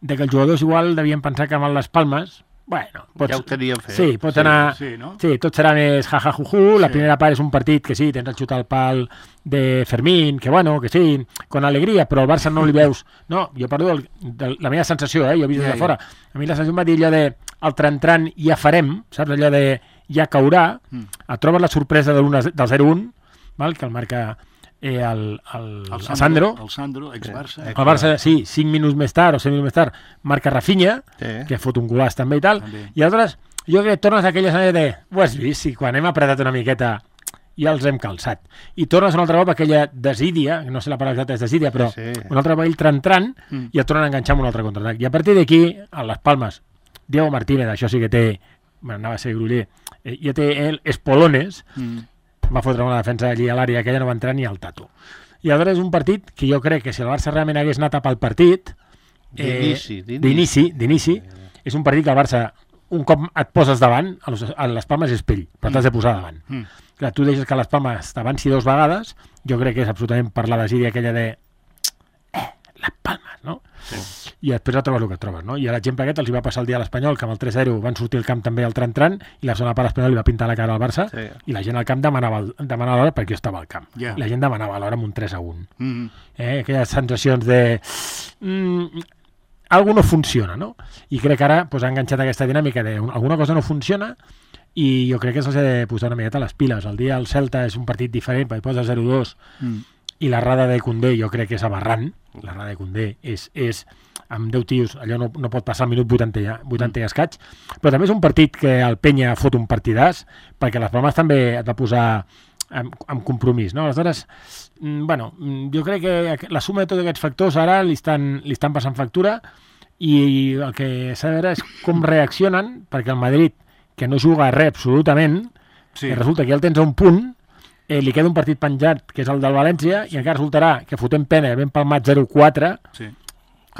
de que els jugadors igual devien pensar que amb les Palmes, bueno, pots, ja ho teníem fet. Sí, pots sí, anar... sí, no? Sí, tot serà més jajajuju, la sí. primera part és un partit que sí, tens el xut al pal de Fermín, que bueno, que sí, con alegria, però al Barça no li veus... No, jo parlo del, de la meva sensació, eh? Jo he vist des de fora. A mi la sensació em va dir allò de el tran-tran ja farem, saps? Allò de ja caurà, mm. et trobes la sorpresa de del zero un, val? Que el marca... Eh, el, el, el, Sandro, Sandro, el Sandro, ex-Barça. El Barça, sí, cinc minuts més tard o set minuts més tard, marca Rafinha, sí. que fot un golaç també i tal, també. I aleshores, jo crec que tornes a aquella sensació de, ho has vist, si quan hem apretat una miqueta ja els hem calçat. I tornes un altre cop a aquella desídia, no sé la paraula exacta és desídia, però sí, sí. un altre cop ell tran-tran mm. i et tornen a enganxar amb un altre contraatac. I a partir d'aquí, a les Palmes, Diego Martínez, això sí que té, bueno, anava a ser gruller, eh, ja té el espolones, mm. va fotre una defensa allí a l'àrea que ella no va entrar ni al tato. I aleshores és un partit que jo crec que si el Barça realment hagués anat a pel partit d'inici, eh, d'inici, d'inici, és un partit que el Barça un cop et poses davant, a les, a les Palmes és pell, però t'has de posar davant. Mm. Clar, tu deixes que les Palmes t'avanci dos vegades, jo crec que és absolutament per la desídia aquella de eh, les Palmes, no? Sí. I després ja trobes el que et trobes, no? I l'exemple aquest els hi va passar el dia a l'Espanyol, que amb el tres zero van sortir al camp també al tran-tran, i la segona part l'Espanyol li va pintar la cara al Barça, sí. i la gent al camp demanava, demanava l'hora perquè jo estava al camp. Yeah. La gent demanava l'hora amb un tres a un. Mm-hmm. eh, aquelles sensacions de... Mm, algo no funciona, no? I crec que ara pues, ha enganxat aquesta dinàmica de alguna cosa no funciona i jo crec que se'ls ha de posar una miqueta les piles. El dia del Celta és un partit diferent, perquè posa zero dos, mm. i l'errada de Koundé jo crec que és aberrant. L'errada de Koundé és, és amb deu tios, allò no, no pot passar al minut vuitanta, vuitanta mm. i escaig, però també és un partit que el Penya fot un partidàs, perquè les Palmes també et va posar amb, amb compromís, no? Aleshores, bueno, jo crec que la suma de tots aquests factors ara li estan, li estan passant factura, i el que s'ha de veure és com reaccionen, perquè el Madrid, que no juga a res absolutament, sí. resulta que ja el tens a un punt, eh, li queda un partit penjat, que és el del València, i encara resultarà que fotem pena, ben palmat zero quatre, sí.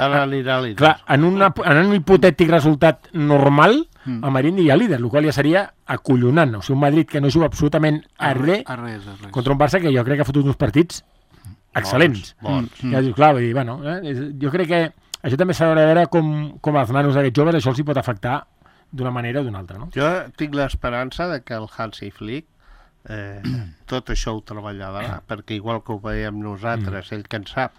Ara anirà líder. Clar, en, una, en un hipotètic resultat normal, mm. el Madrid aniria líder, el qual ja seria acollonant. O sigui, un Madrid que no juga absolutament a res, a res, a res. contra un Barça que jo crec que ha fotut uns partits excel·lents. Bons, bons. Mm. Ja dius, clar, vull dir, bueno, eh, jo crec que això també s'ha de veure com, com els nanos d'aquests joves això els hi pot afectar d'una manera o d'una altra, no? Jo tinc l'esperança de que el Hansi Flick eh, tot això ho treballarà, perquè igual que ho veiem nosaltres, mm. ell que en sap,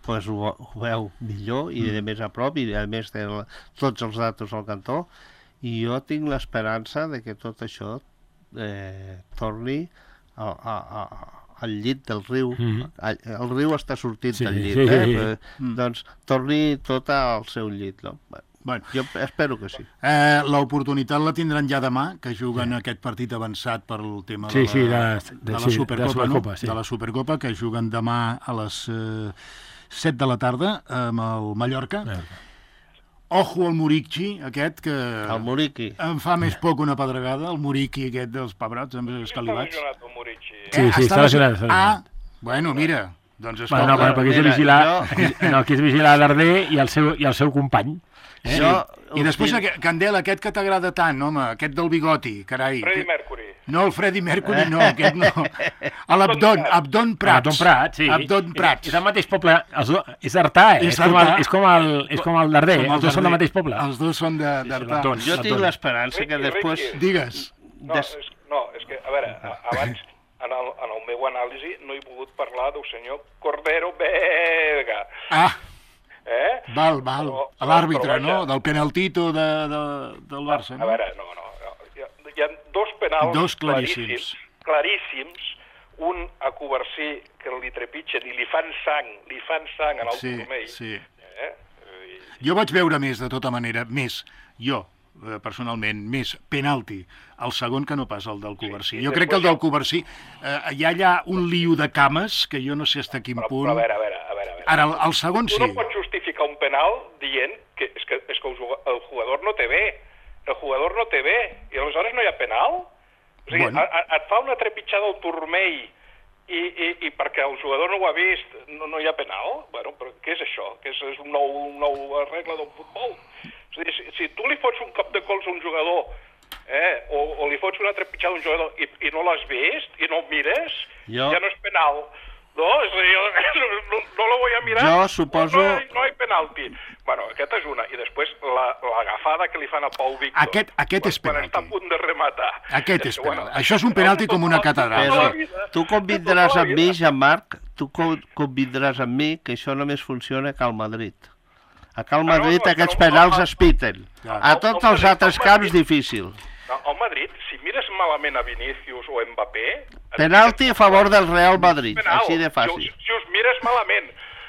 pues ho, ho veu millor i de més a prop, i a més de la, tots els datos al cantó, i jo tinc l'esperança de que tot això eh, torni a, a, a, al llit del riu. Mm-hmm. el, el riu està sortint sí, del llit, sí, eh? Sí, sí. Però, mm. doncs torni tot al seu llit, no? Bueno. Jo espero que sí. Eh, L'oportunitat la tindran ja demà, que juguen sí. aquest partit avançat per el tema sí, de, la, sí, de, de, de, la sí, Supercopa, de la Supercopa, no? sí. De la Supercopa, que juguen demà a les eh, set de la tarda amb el Mallorca. Mallorca. Ojo al Muriqui, aquest, que el Muriqui. em fa més poc una pedregada, el Muriqui aquest dels pebrots, amb els escalivats. Està lesionat el Muriqui. Sí, sí, està lesionat. Ah, bueno, mira, doncs escolta... Bueno, no, però aquí és vigilar, jo... no, aquí és vigilar Darder i el seu, i el seu company. Eh? Sí. I després, aquest, Candela, aquest que t'agrada tant, home, aquest del bigoti, carai. Freddie Mercury. No, el Freddie Mercury no, aquest no. A l'Abdon, Abdon Prats. Abdon Prats, sí. Abdon Prats. És, és el mateix poble, els do, és Artà, eh? És, és, com el, és, com el, és com el Darder, els dos són del mateix poble. Els dos són d'Artà. Sí, jo tinc l'esperança que després... Digues. No, és, no, és que, a veure, abans, en el, en el meu anàlisi, no he pogut parlar del senyor Cordero Vega. Ah, eh? val, val. A l'àrbitre, no? Del penaltito de, de, del Barça, no? A veure, no, no. Hi ha, hi ha dos penals dos claríssims. claríssims, un a Covarsí, que li trepitgen i li fan sang, li fan sang en el sí, turmell. Sí. Eh? I... Jo vaig veure més, de tota manera, més, jo, personalment, més penalti el segon que no pas el del Covarsí. Sí, jo crec que el del Covarsí eh, hi ha allà un lío de cames que jo no sé fins a quin però, punt... Però a veure, a veure, a veure. A veure. Ara, el, el segon sí. Tu no pots justificar un penal dient que és que, és que el jugador no té bé. El jugador no té bé. I aleshores no hi ha penal? O sigui, bueno. a, a, et fa una trepitjada al turmell i, i, i perquè el jugador no ho ha vist no, no hi ha penal? Bueno, però què és això? Que és, és un nou, un nou regla del futbol? O sigui, si, si tu li fots un cop de cols a un jugador eh, o, o li fots una trepitjada a un jugador i, i no l'has vist i no el mires, jo... ja no és penal. No, és a dir, no, no, no lo voy a mirar. Jo suposo... No, no, no hi ha penalti. Bueno, aquesta és una. I després l'agafada la, que li fan a Pau Víctor. Aquest, aquest és penalti. Quan està a punt de rematar. Aquest és penalti. Bueno, això és un penalti com una catedral. Però tu convindràs amb mi, Jean-Marc, tu convindràs amb mi que això només funciona a Cal Madrid. A Cal Madrid ah, no, no, aquests no, penals no, es piten. Ja. A tots els altres camps, difícil. No, al Madrid, si mires malament a Vinícius o Mbappé... Penalti a favor del Real Madrid, penal, així de fàcil. Si, si us mires malament...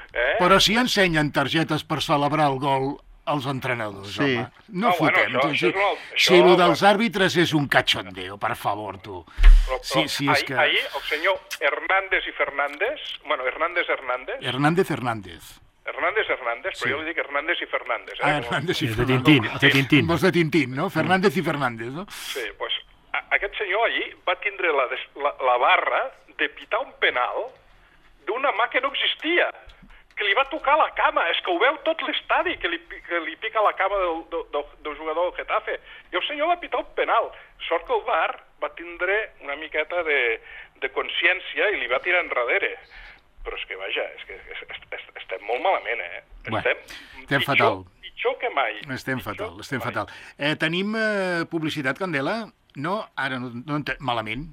Eh? Però si ensenyen targetes per celebrar el gol als entrenadors, sí. home. No, no fotem. Bueno, això, si això és això, si el dels àrbitres és un cachondeo, per favor, tu. Però, però sí, sí, és ahir, que... ahir el senyor Hernández i Fernández... Bueno, Hernández Hernández... Hernández Hernández. Hernández Hernández, però sí. Jo li dic Hernández i Fernández. Eh? Ah, Hernández i Fernández. De Tintín, de Tintín. Vols de Tintín, no? Fernández i Fernández, no? Sí, doncs pues, aquest senyor allí va tindre la, la, la barra de pitar un penal d'una mà que no existia, que li va tocar la cama, és que ho veu tot l'estadi, que, li, que li pica la cama del, del, del jugador del Getafe. I el senyor va pitar un penal. Sort que el V A R va tindre una miqueta de, de consciència i li va tirar enrere. Però és que, vaja, és que és, és, estem molt malament, eh? Bueno, estem estem pitjor, fatal. Pitjor que mai. Estem pitjor fatal, estem mai. fatal. Eh, tenim eh, publicitat, Candela? No? Ara no, no ente... Malament.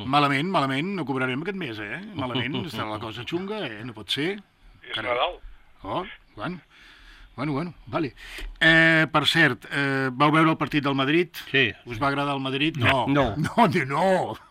Malament, malament, no cobrarem aquest mes, eh? Malament, està la cosa xunga, eh? No pot ser. És Nadal. Oh, bueno. Bueno, bueno, vale. Eh, per cert, eh, vau veure el partit del Madrid? Sí. Us va agradar el Madrid? No. No, no, no, no.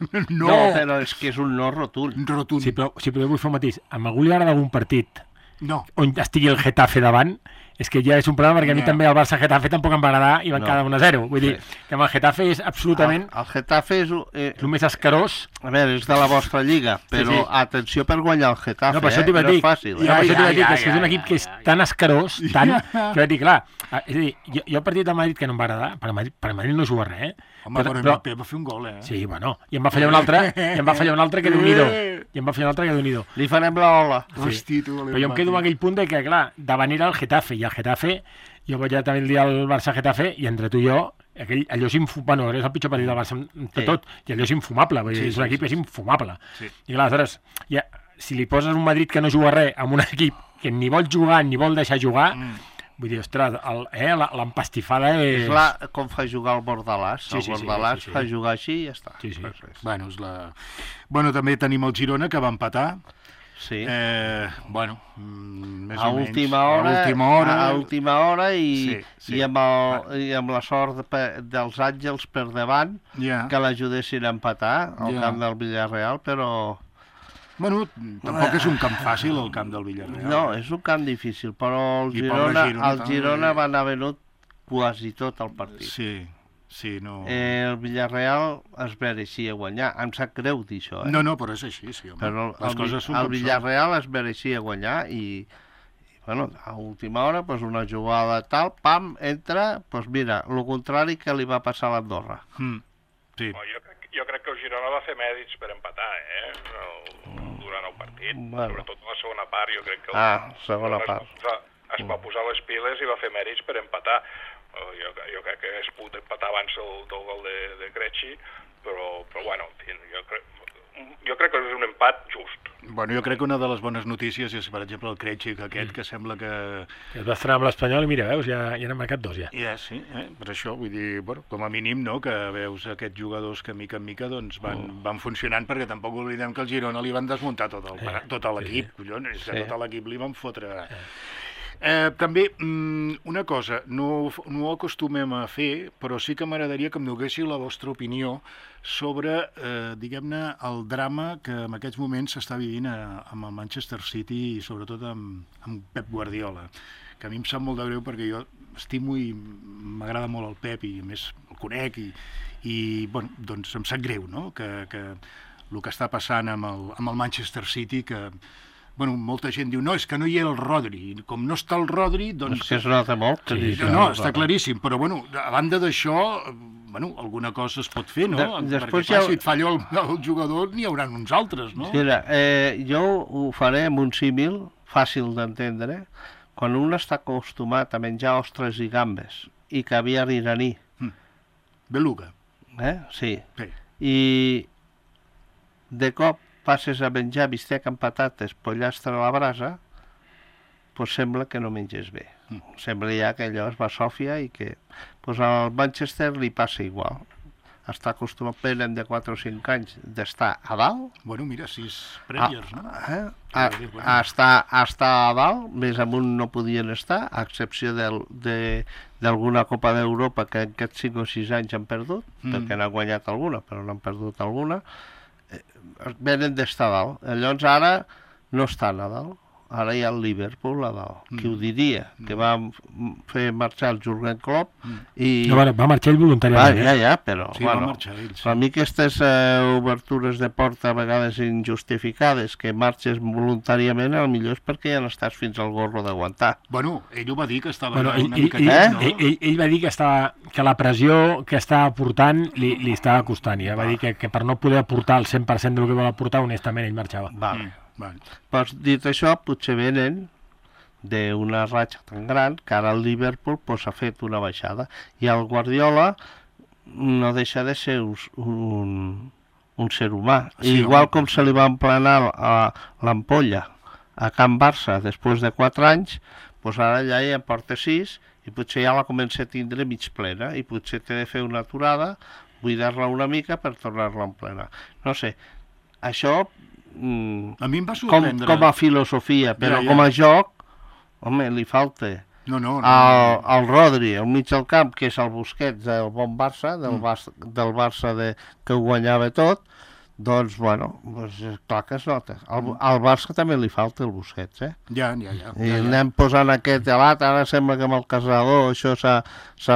No, no però és que és un no rotund. Rotund. Sí, però, sí, però vull fer un matís. A algú li agrada algun partit no. on estigui el Getafe davant, és que ja és un problema, perquè a mi també el Barça-Getafe tampoc em va agradar i van no. quedar un a zero. Vull dir, sí. que amb el Getafe és absolutament... El, el Getafe és... Eh, el més escarós. A veure, és de la vostra lliga, però sí, sí. atenció per guanyar el Getafe, no, eh? No és fàcil. Eh? No, per això t'ho vaig dir, que és, que és un equip que és tan escarós, tant, que vaig dir, clar, és a dir, jo, jo el partit del Madrid que no em va agradar, per Madrid, per Madrid no juga res, eh? Home, però, però Mbappé va fer un gol, eh? Sí, bueno, i em va fallar un altre, i em va fallar un altre que Déu-n'hi-do. I em va fallar un altre que Déu-n'hi-do. Li farem la ola. Sí. Hosti, tu, però jo em quedo amb aquell punt de que, clar, davant era el Getafe, i el Getafe, jo vaig ja també el dia al Barça-Getafe, i entre tu i jo, aquell, allò és infumable, bueno, és el pitjor partit del Barça de sí. tot, i allò és infumable, vull dir, sí, és un equip sí, que és infumable. Sí. I clar, aleshores, ja, si li poses un Madrid que no juga res amb un equip que ni vol jugar ni vol deixar jugar, mm. vull dir, ostres, eh, l'empastifada és... És la, com fa jugar el Bordalàs, sí, el sí, Bordalàs sí, sí, sí. fa jugar així i ja està. Sí, sí. Bueno, és la... bueno, també tenim el Girona, que va empatar. Sí. Eh, bueno, més a o menys. Última hora, a última hora. A última hora i, sí, sí. i, amb, el, i amb la sort de, dels Àngels per davant, yeah. que l'ajudessin a empatar al yeah. camp del Villarreal, però... Bueno, tampoc és un camp fàcil, el camp del Villarreal. No, és un camp difícil, però el Girona, el Girona va anar venut quasi tot el partit. Sí, sí, no... Eh, el Villarreal es mereixia guanyar. Em sap greu dir això, eh? No, no, però és així, sí, home. Però les el, coses són el com Villarreal es mereixia guanyar i, i bueno, a última hora, pues, una jugada tal, pam, entra, doncs pues mira, el contrari que li va passar a l'Andorra. Mm, sí. Oh, jo, crec, jo crec que el Girona va fer mèrits per empatar, eh? El, durant el partit, bueno. Sobretot a la segona part, jo crec que... Ah, segona es part. Va posar, es va posar les piles i va fer mèrits per empatar. Jo, jo crec que es pot empatar abans del, del gol de, de Krejci, però, però bueno, en fi, jo crec, jo crec que és un empat just. Bueno, jo crec que una de les bones notícies és, per exemple, el Krejci, que aquest, mm. que sembla que... Es va estrenar amb l'Espanyol i mira, veus, ja, ja n'han marcat dos, ja. Ja, sí, eh? Per això, vull dir, bueno, com a mínim, no?, que veus aquests jugadors que mica en mica doncs, van, oh. van funcionant, perquè tampoc oblidem que el Girona li van desmuntar tot el, eh, tot l'equip, sí, sí. collons, és que sí. Tot l'equip li van fotre... Eh. Eh, també, una cosa, no, no ho acostumem a fer, però sí que m'agradaria que em donéssiu la vostra opinió sobre, eh, diguem-ne, el drama que en aquests moments s'està vivint a, amb el Manchester City i sobretot amb, amb Pep Guardiola, que a mi em sap molt de greu perquè jo estimo i m'agrada molt el Pep i a més el conec i, i bueno, doncs em sap greu, no?, que, que el que està passant amb el, amb el Manchester City, que bueno, molta gent diu, no, és que no hi era el Rodri. Com no està el Rodri, doncs... És que es nota molt. Sí, no, no, està claríssim, però, bueno, a banda d'això, bueno, alguna cosa es pot fer, no? De, després perquè, clar, ja... si et falla el, el jugador, n'hi haurà uns altres, no? Mira, eh, jo ho faré amb un símil fàcil d'entendre. Quan un està acostumat a menjar ostres i gambes i caviar iraní... Mm. Beluga. Eh? Sí. Sí. I de cop passes a menjar bistec amb patates, pollastre a la brasa, doncs sembla que no menges bé. Mm. Sembla ja que allò es va a Sòfia i que doncs al Manchester li passa igual. Està acostumat, venen de quatre o cinc anys d'estar a dalt. Bueno, mira, sis Premiers, no? Eh? A, a, estar, a estar a dalt, més amunt no podien estar, a excepció d'alguna Copa d'Europa que en aquests cinc o sis anys han perdut, mm. perquè n'han guanyat alguna, però n'han perdut alguna. Venen d'estar a dalt. Llavors ara no estan a dalt. Ara hi ha el Liverpool a dalt. Mm. Qui ho diria? Mm. Que va fer marxar el Jürgen Klopp mm. i... No, va, va marxar ell voluntàriament. Va, ja, ja, però... Sí, bueno, va marxar ell, sí. A mi aquestes eh, obertures de porta a vegades injustificades, que marxes voluntàriament, al millor és perquè ja n'estàs fins al gorro d'aguantar. Bueno, ell ho va dir que estava bueno, ell, una ell, mica... Ell, eh? no? ell, ell, ell va dir que, estava, que la pressió que estava portant li, li estava costant. I va dir que, que per no poder aportar el cent per cent del que vol aportar, honestament, ell marxava. Vale. Mm. Vale. Pues, dit això, potser venen d'una ratxa tan gran que ara el Liverpool pues, ha fet una baixada i el Guardiola no deixa de ser un, un ser humà. Sí, igual home. Com se li va emplenar a l'ampolla a Can Barça després de quatre anys, pues ara ja hi en porta sis i potser ja la comença a tindre mig plena i potser té de fer una aturada, buidar-la una mica per tornar-la a emplenar. No sé, això... Mm, a mi em va sorprendre. Com, com a filosofia, però ja, ja. Com a joc, home, li falta no, no, no, el, el Rodri, al mig del camp, que és el Busquets del bon Barça, del, mm. Barça, del Barça de, que ho guanyava tot, doncs, bueno, doncs, clar que es nota. Al, al Barça també li falta el Busquets, eh? Ja, ja, ja. I ja, ja. anem posant aquest gelat, ara sembla que amb el Casador això s'ha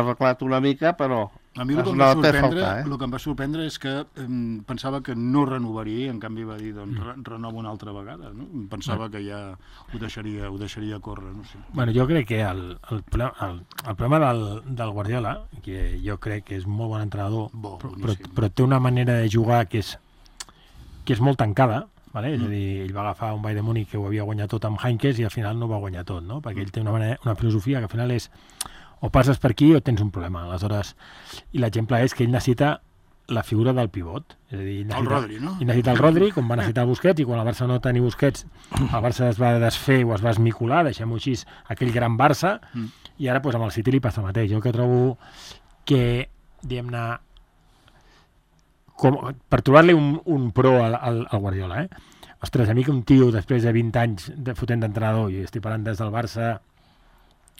arreglat una mica, però... A mi el que, em va sorprendre, faltar, eh? el que em va sorprendre és que eh, pensava que no renovaria i en canvi va dir, doncs, re renova una altra vegada, no? Pensava que ja ho deixaria, ho deixaria córrer, no sé. Bueno, jo crec que el, el, el, el problema del, del Guardiola, que jo crec que és molt bon entrenador, Bo, però, però, però té una manera de jugar que és, que és molt tancada, vale? Mm. És a dir, ell va agafar un Bayern de Múnich que ho havia guanyat tot amb Heinkes i al final no va guanyar tot, no? Perquè ell té una, manera, una filosofia que al final és o passes per aquí o tens un problema. Aleshores, i l'exemple és que ell necessita la figura del pivot. És a dir, necessita, el Rodri, no? Ell necessita el Rodri, com va necessitar Busquets, i quan el Barça no tenia Busquets, el Barça es va desfer o es va esmicolar, deixem-ho així, aquell gran Barça, mm. i ara pues, amb el City li passa el mateix. Jo que trobo que, diguem-ne, per trobar-li un, un pro al, al, al Guardiola, eh? Ostres, a mi que un tio, després de vint anys de fotent d'entrenador, i estic parlant des del Barça,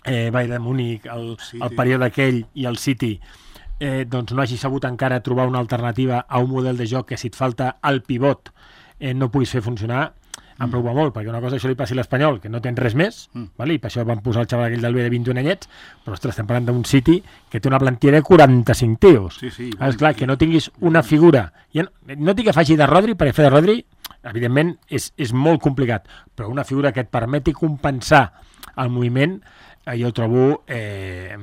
Eh, Bayern de Múnich, el, el període aquell i el City, eh, doncs no hagi sabut encara trobar una alternativa a un model de joc que si et falta el pivot eh, no puguis fer funcionar em preocupa molt, perquè una cosa això li passi a l'Espanyol, que no tens res més, mm. vale? I per això van posar el xaval aquell del B de vint-i-un anyets, però ostres, estem parlant d'un City que té una plantilla de quaranta-cinc tios. Sí, sí. És clar, que no tinguis una figura. Ja no, no dic que faci de Rodri, perquè fer de Rodri, evidentment, és, és molt complicat, però una figura que et permeti compensar el moviment, eh, jo ho trobo eh,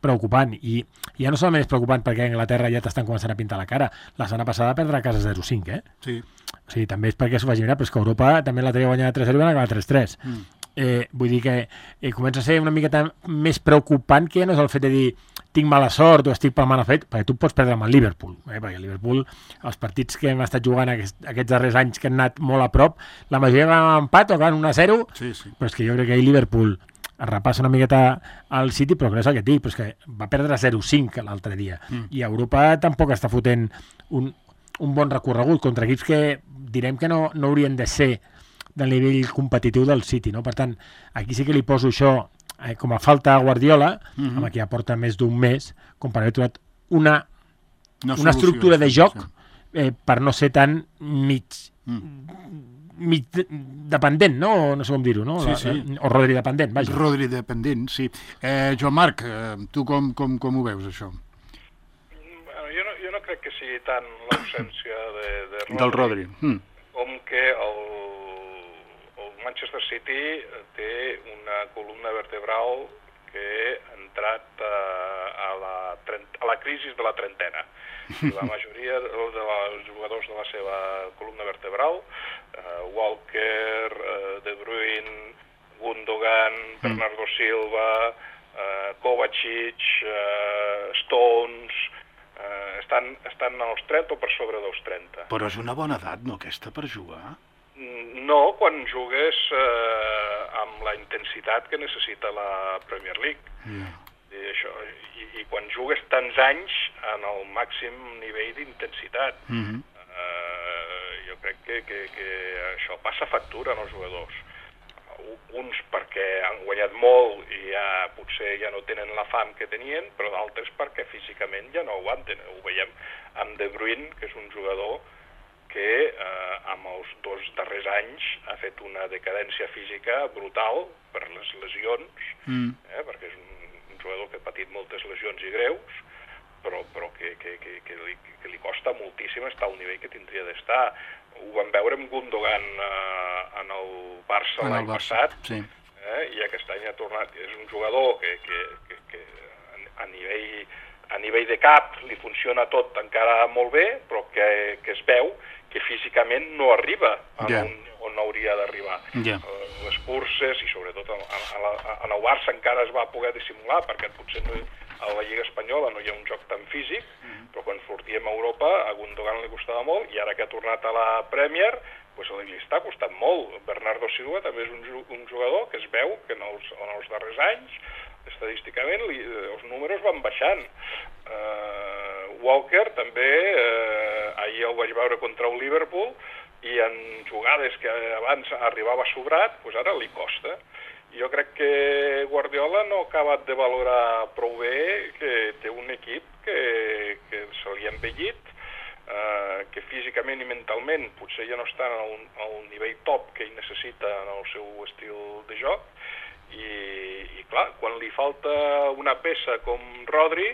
preocupant. I ja no solament és preocupant perquè a Anglaterra ja t'estan començant a pintar la cara. La setmana passada va perdre a casa zero cinc, eh? Sí. O sigui, també és perquè s'ho vagi mirar, però és que Europa també la tenia guanyada tres zero i van acabar tres tres. Mm. Eh, vull dir que eh, comença a ser una miqueta més preocupant que ja no és el fet de dir tinc mala sort o estic pel mal fet, perquè tu pots perdre amb el Liverpool, eh? Perquè el Liverpool, els partits que hem estat jugant aquests, aquests darrers anys que han anat molt a prop, la majoria van amb empat o van un a zero, sí, sí. Però és que jo crec que ahir Liverpool es repassa una miqueta al City, però és el que et dic, però és que va perdre zero cinc l'altre dia, mm. i Europa tampoc està fotent un, un bon recorregut contra equips que direm que no, no haurien de ser del nivell competitiu del City, no? Per tant, aquí sí que li poso això eh, com a falta a Guardiola, mm-hmm. amb qui ja porta més d'un mes, com per haver trobat una, una, una estructura de joc eh, per no ser tan mig, mm. mig dependent, no? No sé com dir-ho, no? Sí, sí. La, o Rodri dependent, vaja. Rodri dependent, sí. Eh, Joan Marc, eh, tu com, com, com ho veus, això? Jo no, jo no crec que sigui tant l'ausència de, de Rodri, del Rodri. Mm. com que el, el Manchester City té una columna vertebral que ha entrat a, a, la, a la crisi de la trentena. La majoria de, de els jugadors de la seva columna vertebral, uh, Walker, uh, De Bruyne, Gundogan, mm. Bernardo Silva, uh, Kovacic, uh, Stones... Uh, estan, estan als trenta o per sobre dels trenta. Però és una bona edat, no, aquesta, per jugar? No, quan jugues uh, amb la intensitat que necessita la Premier League. Yeah. I, això, i, I quan jugues tants anys en el màxim nivell d'intensitat. Mm-hmm. uh, jo crec que, que, que això passa factura en els jugadors. Uns perquè han guanyat molt i ja potser ja no tenen la fam que tenien, però d'altres perquè físicament ja no aguanten. Ho veiem amb De Bruyne, que és un jugador que eh, amb els dos darrers anys ha fet una decadència física brutal per les lesions, mm. eh, perquè és un, un jugador que ha patit moltes lesions i greus, però, però que, que, que, que, li, que li costa moltíssim estar al nivell que tindria d'estar. Ho vam veure amb Gundogan eh, en el Barça l'any passat, sí. eh, i aquest any ha tornat. És un jugador que, que, que, que a, nivell, a nivell de cap li funciona tot encara molt bé, però que, que es veu que físicament no arriba a yeah. on, on hauria d'arribar. Yeah. Les curses, i sobretot en, en, en el Barça encara es va poder dissimular, perquè potser no, a la Lliga Espanyola no hi ha un joc tan físic, mm. però quan sortíem a Europa a Gundogan li costava molt, i ara que ha tornat a la Premier, pues, li està costant molt. Bernardo Silva també és un, un jugador que es veu que en els, en els darrers anys, estadísticament, li, els números van baixant. Uh, Walker també, uh, ahir el vaig veure contra el Liverpool, i en jugades que abans arribava sobrat, pues ara li costa. Jo crec que Guardiola no ha acabat de valorar prou bé que té un equip que, que se li ha envellit, eh, que físicament i mentalment potser ja no està al, al nivell top que ell necessita en el seu estil de joc, i, i clar, quan li falta una peça com Rodri,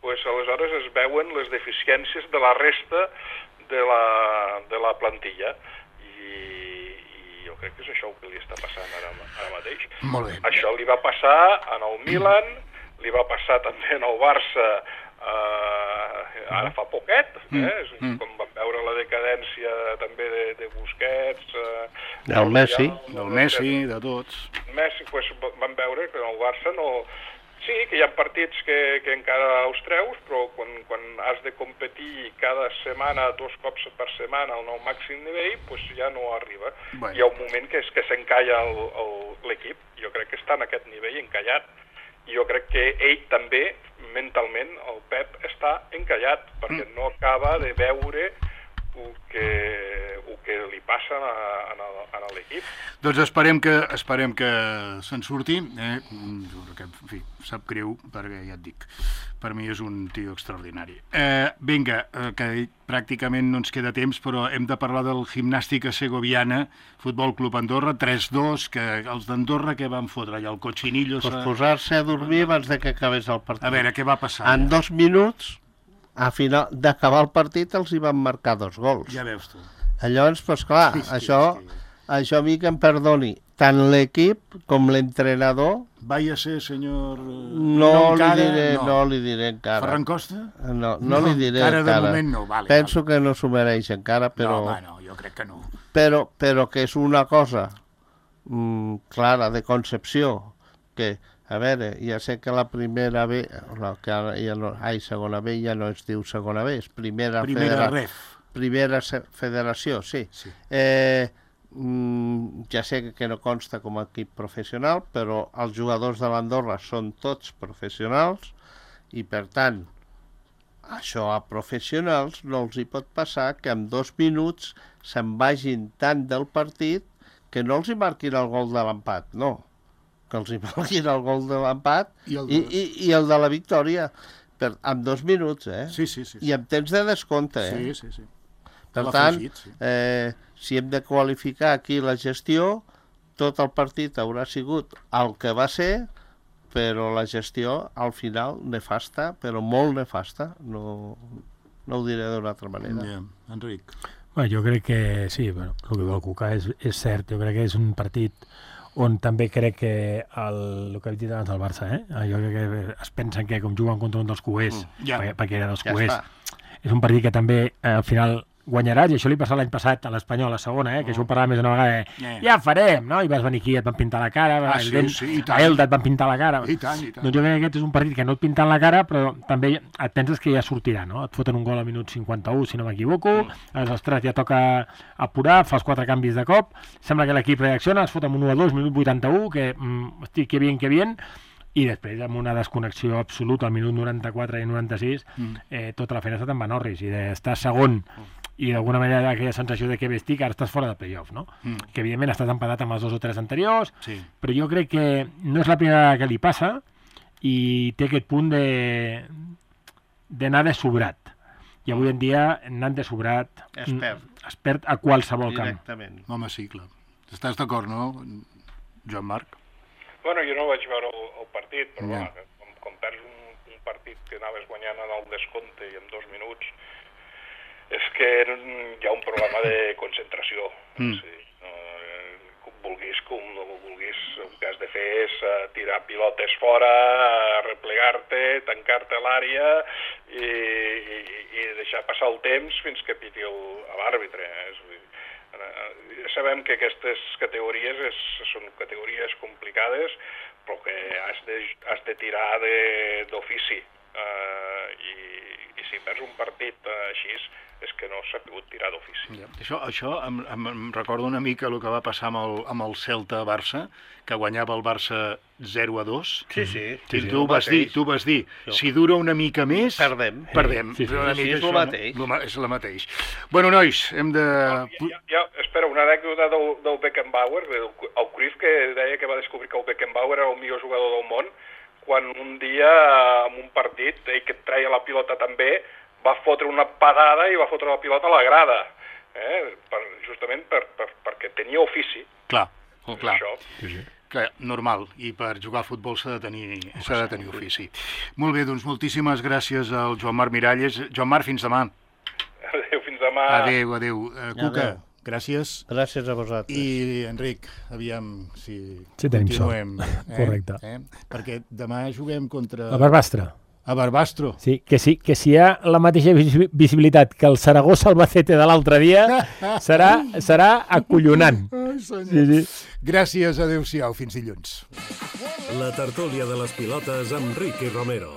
pues aleshores es veuen les deficiències de la resta de la, de la plantilla. Jo crec que és això el que li està passant ara, ara mateix. Molt bé. Això li va passar en el Milan, li va passar també en el Barça eh, ara fa poquet, eh? Mm. Com vam veure la decadència també de, de Busquets... Eh, del Messi. Del Messi, de tots. Messi, pues, vam veure que en el Barça no... Sí, que hi ha partits que, que encara els treus, però quan, quan has de competir cada setmana, dos cops per setmana al nou màxim nivell, pues ja no arriba. Bueno. Hi ha un moment que és que s'encalla l'equip. Jo crec que està en aquest nivell encallat. I jo crec que ell també, mentalment, el Pep, està encallat, perquè mm. no acaba de veure el que, el que li passa en, el, en l'equip. Doncs esperem que, esperem que se'n surti. Eh? Que, en fi, sap greu, perquè ja et dic, per mi és un tio extraordinari. Eh, vinga, eh, que pràcticament no ens queda temps, però hem de parlar del Gimnàstica Segoviana, Futbol Club Andorra, tres dos, que els d'Andorra què van fotre allà, el cochinillo... Pues posar-se a dormir abans de que acabés el partit. A veure, què va passar? En dos minuts, a final d'acabar el partit, els hi van marcar dos gols. Ja veus tu. Llavors, doncs clar, Sí, sí, això, sí. això a mi que em perdoni, tant l'equip com l'entrenador, Vaya ser, senyor... no, encara, li diré, no. no li diré encara. Ferran Costa? No, no, No, li diré encara encara. de moment no, vale, Penso vale. que no s'ho mereix encara, però, No, home, no, jo crec que no. però, però que és una cosa mm, clara de concepció, que, a veure, ja sé que la primera B, no, que ara ja no, ai, segona B ja no es diu segona B, és primera, Primera federa, ref. primera se- federació, sí. Sí. Eh, mm, ja sé que, que no consta com a equip professional, però els jugadors de l'Andorra són tots professionals i, per tant, això a professionals no els hi pot passar que en dos minuts se'n vagin tant del partit que no els hi marquin el gol de l'empat, no. Que els hi marquin el gol de l'empat I el i, de- i, i el de la victòria. Per, en dos minuts, eh? Sí, sí, sí. sí. I amb temps de descompte, eh? Sí, sí, sí. Per L'ha tant, afegit, sí. eh, si hem de qualificar aquí la gestió, tot el partit haurà sigut el que va ser, però la gestió, al final, nefasta, però molt nefasta. No, no ho diré d'una altra manera. Ja, Enric. Bueno, jo crec que sí, bueno, el que diu el Cuca és, és cert. Jo crec que és un partit on també crec que el, el que he dit abans del Barça, eh? jo crec que es pensen que com juguen contra un dels cuers, Mm, ja. perquè, perquè era dels Ja cuers, està. és un partit que també eh, al final guanyaràs, i això li passà l'any passat a l'Espanyol, a la segona, eh? que això ho parlàvem més d'una vegada, eh? Eh. ja farem, no? I vas venir aquí i et van pintar la cara, Ah, el sí, Dent- sí, i tant. a Elda et van pintar la cara. I tant, i tant. Doncs jo crec que aquest és un partit que no et pinten la cara, però també et penses que ja sortirà, no? Et foten un gol al minut cinquanta-u, si no m'equivoco, aleshores, ostres, ja toca apurar, fas quatre canvis de cop, sembla que l'equip reacciona, es fot amb un u a dos, minut vuitanta-u, que, mm, hosti, que bien, que bien, i després, amb una desconnexió absoluta al minut noranta-quatre i noranta-sis, eh, tota la feina està en Vanorris, i d'estar segon, i d'alguna manera aquella sensació de que vestic, ara estàs fora de playoff, no? Mm. Que evidentment estàs empatat amb els dos o tres anteriors, Sí. però jo crec que no és la primera vegada que li passa i té aquest punt de d'anar de sobrat. I avui en dia, anant de sobrat, Es perd. mm, es perd a qualsevol camp. Directament. Home, sí, clar. Estàs d'acord, no, Joan Marc? Bueno, jo no vaig veure el, el partit, però Ja. clar, com, com perds un, un partit que anaves guanyant en el descompte i en dos minuts, és que hi ha un problema de concentració. Mm. Sí. Eh, com vulguis, com no vulguis, el que has de fer és uh, tirar pilotes fora, uh, replegar-te, tancar-te a l'àrea i, i, i deixar passar el temps fins que piti el- l'àrbitre. Eh? És a dir, eh, ja sabem que aquestes categories és, són categories complicades, però que has de, has de tirar de- d'ofici. Uh, i, I si perds un partit uh, així, és que no s'ha pogut tirar d'ofici. Ja. Això, això em, em, em recorda una mica el que va passar amb el, amb el Celta-Barça, que guanyava el Barça zero a dos. Sí, sí. I sí, sí, tu, el vas dir, mateix. tu vas dir, Jo. si dura una mica més... Perdem. Perdem. Sí, sí, Una sí, mica és el això, mateix. No? És el mateix. Bueno, nois, hem de... Ja, ja, ja, espera, una anècdota del, del Beckenbauer, del, el Cruyff, que deia que va descobrir que el Beckenbauer era el millor jugador del món, quan un dia, en un partit, ell que traia la pilota també, va fotre una padada i va fotre la pilota a la grada, eh? per, justament per, per, perquè tenia ofici. Clar, clar. Això. Sí, sí. Que, normal, i per jugar a futbol s'ha de tenir, s'ha de tenir ofici. Molt bé, doncs moltíssimes gràcies al Joan Marc Miralles. Joan Marc, fins demà. Adéu, fins demà. Adéu, adéu. Uh, Cuca, Adéu. gràcies. Gràcies a vosaltres. I, Enric, aviam si Sí, tenim continuem. Eh? Correcte. Eh? Perquè demà juguem contra... A Barbastre. A Barbastro. Sí, que sí, que si hi ha la mateixa visi- visibilitat que el Saragossa-Albacete de l'altre dia, serà, serà acollonant. Ai, senyor. Sí, sí. Gràcies, adéu-siau, fins dilluns. La tertúlia de les pilotes amb Ricky Romero.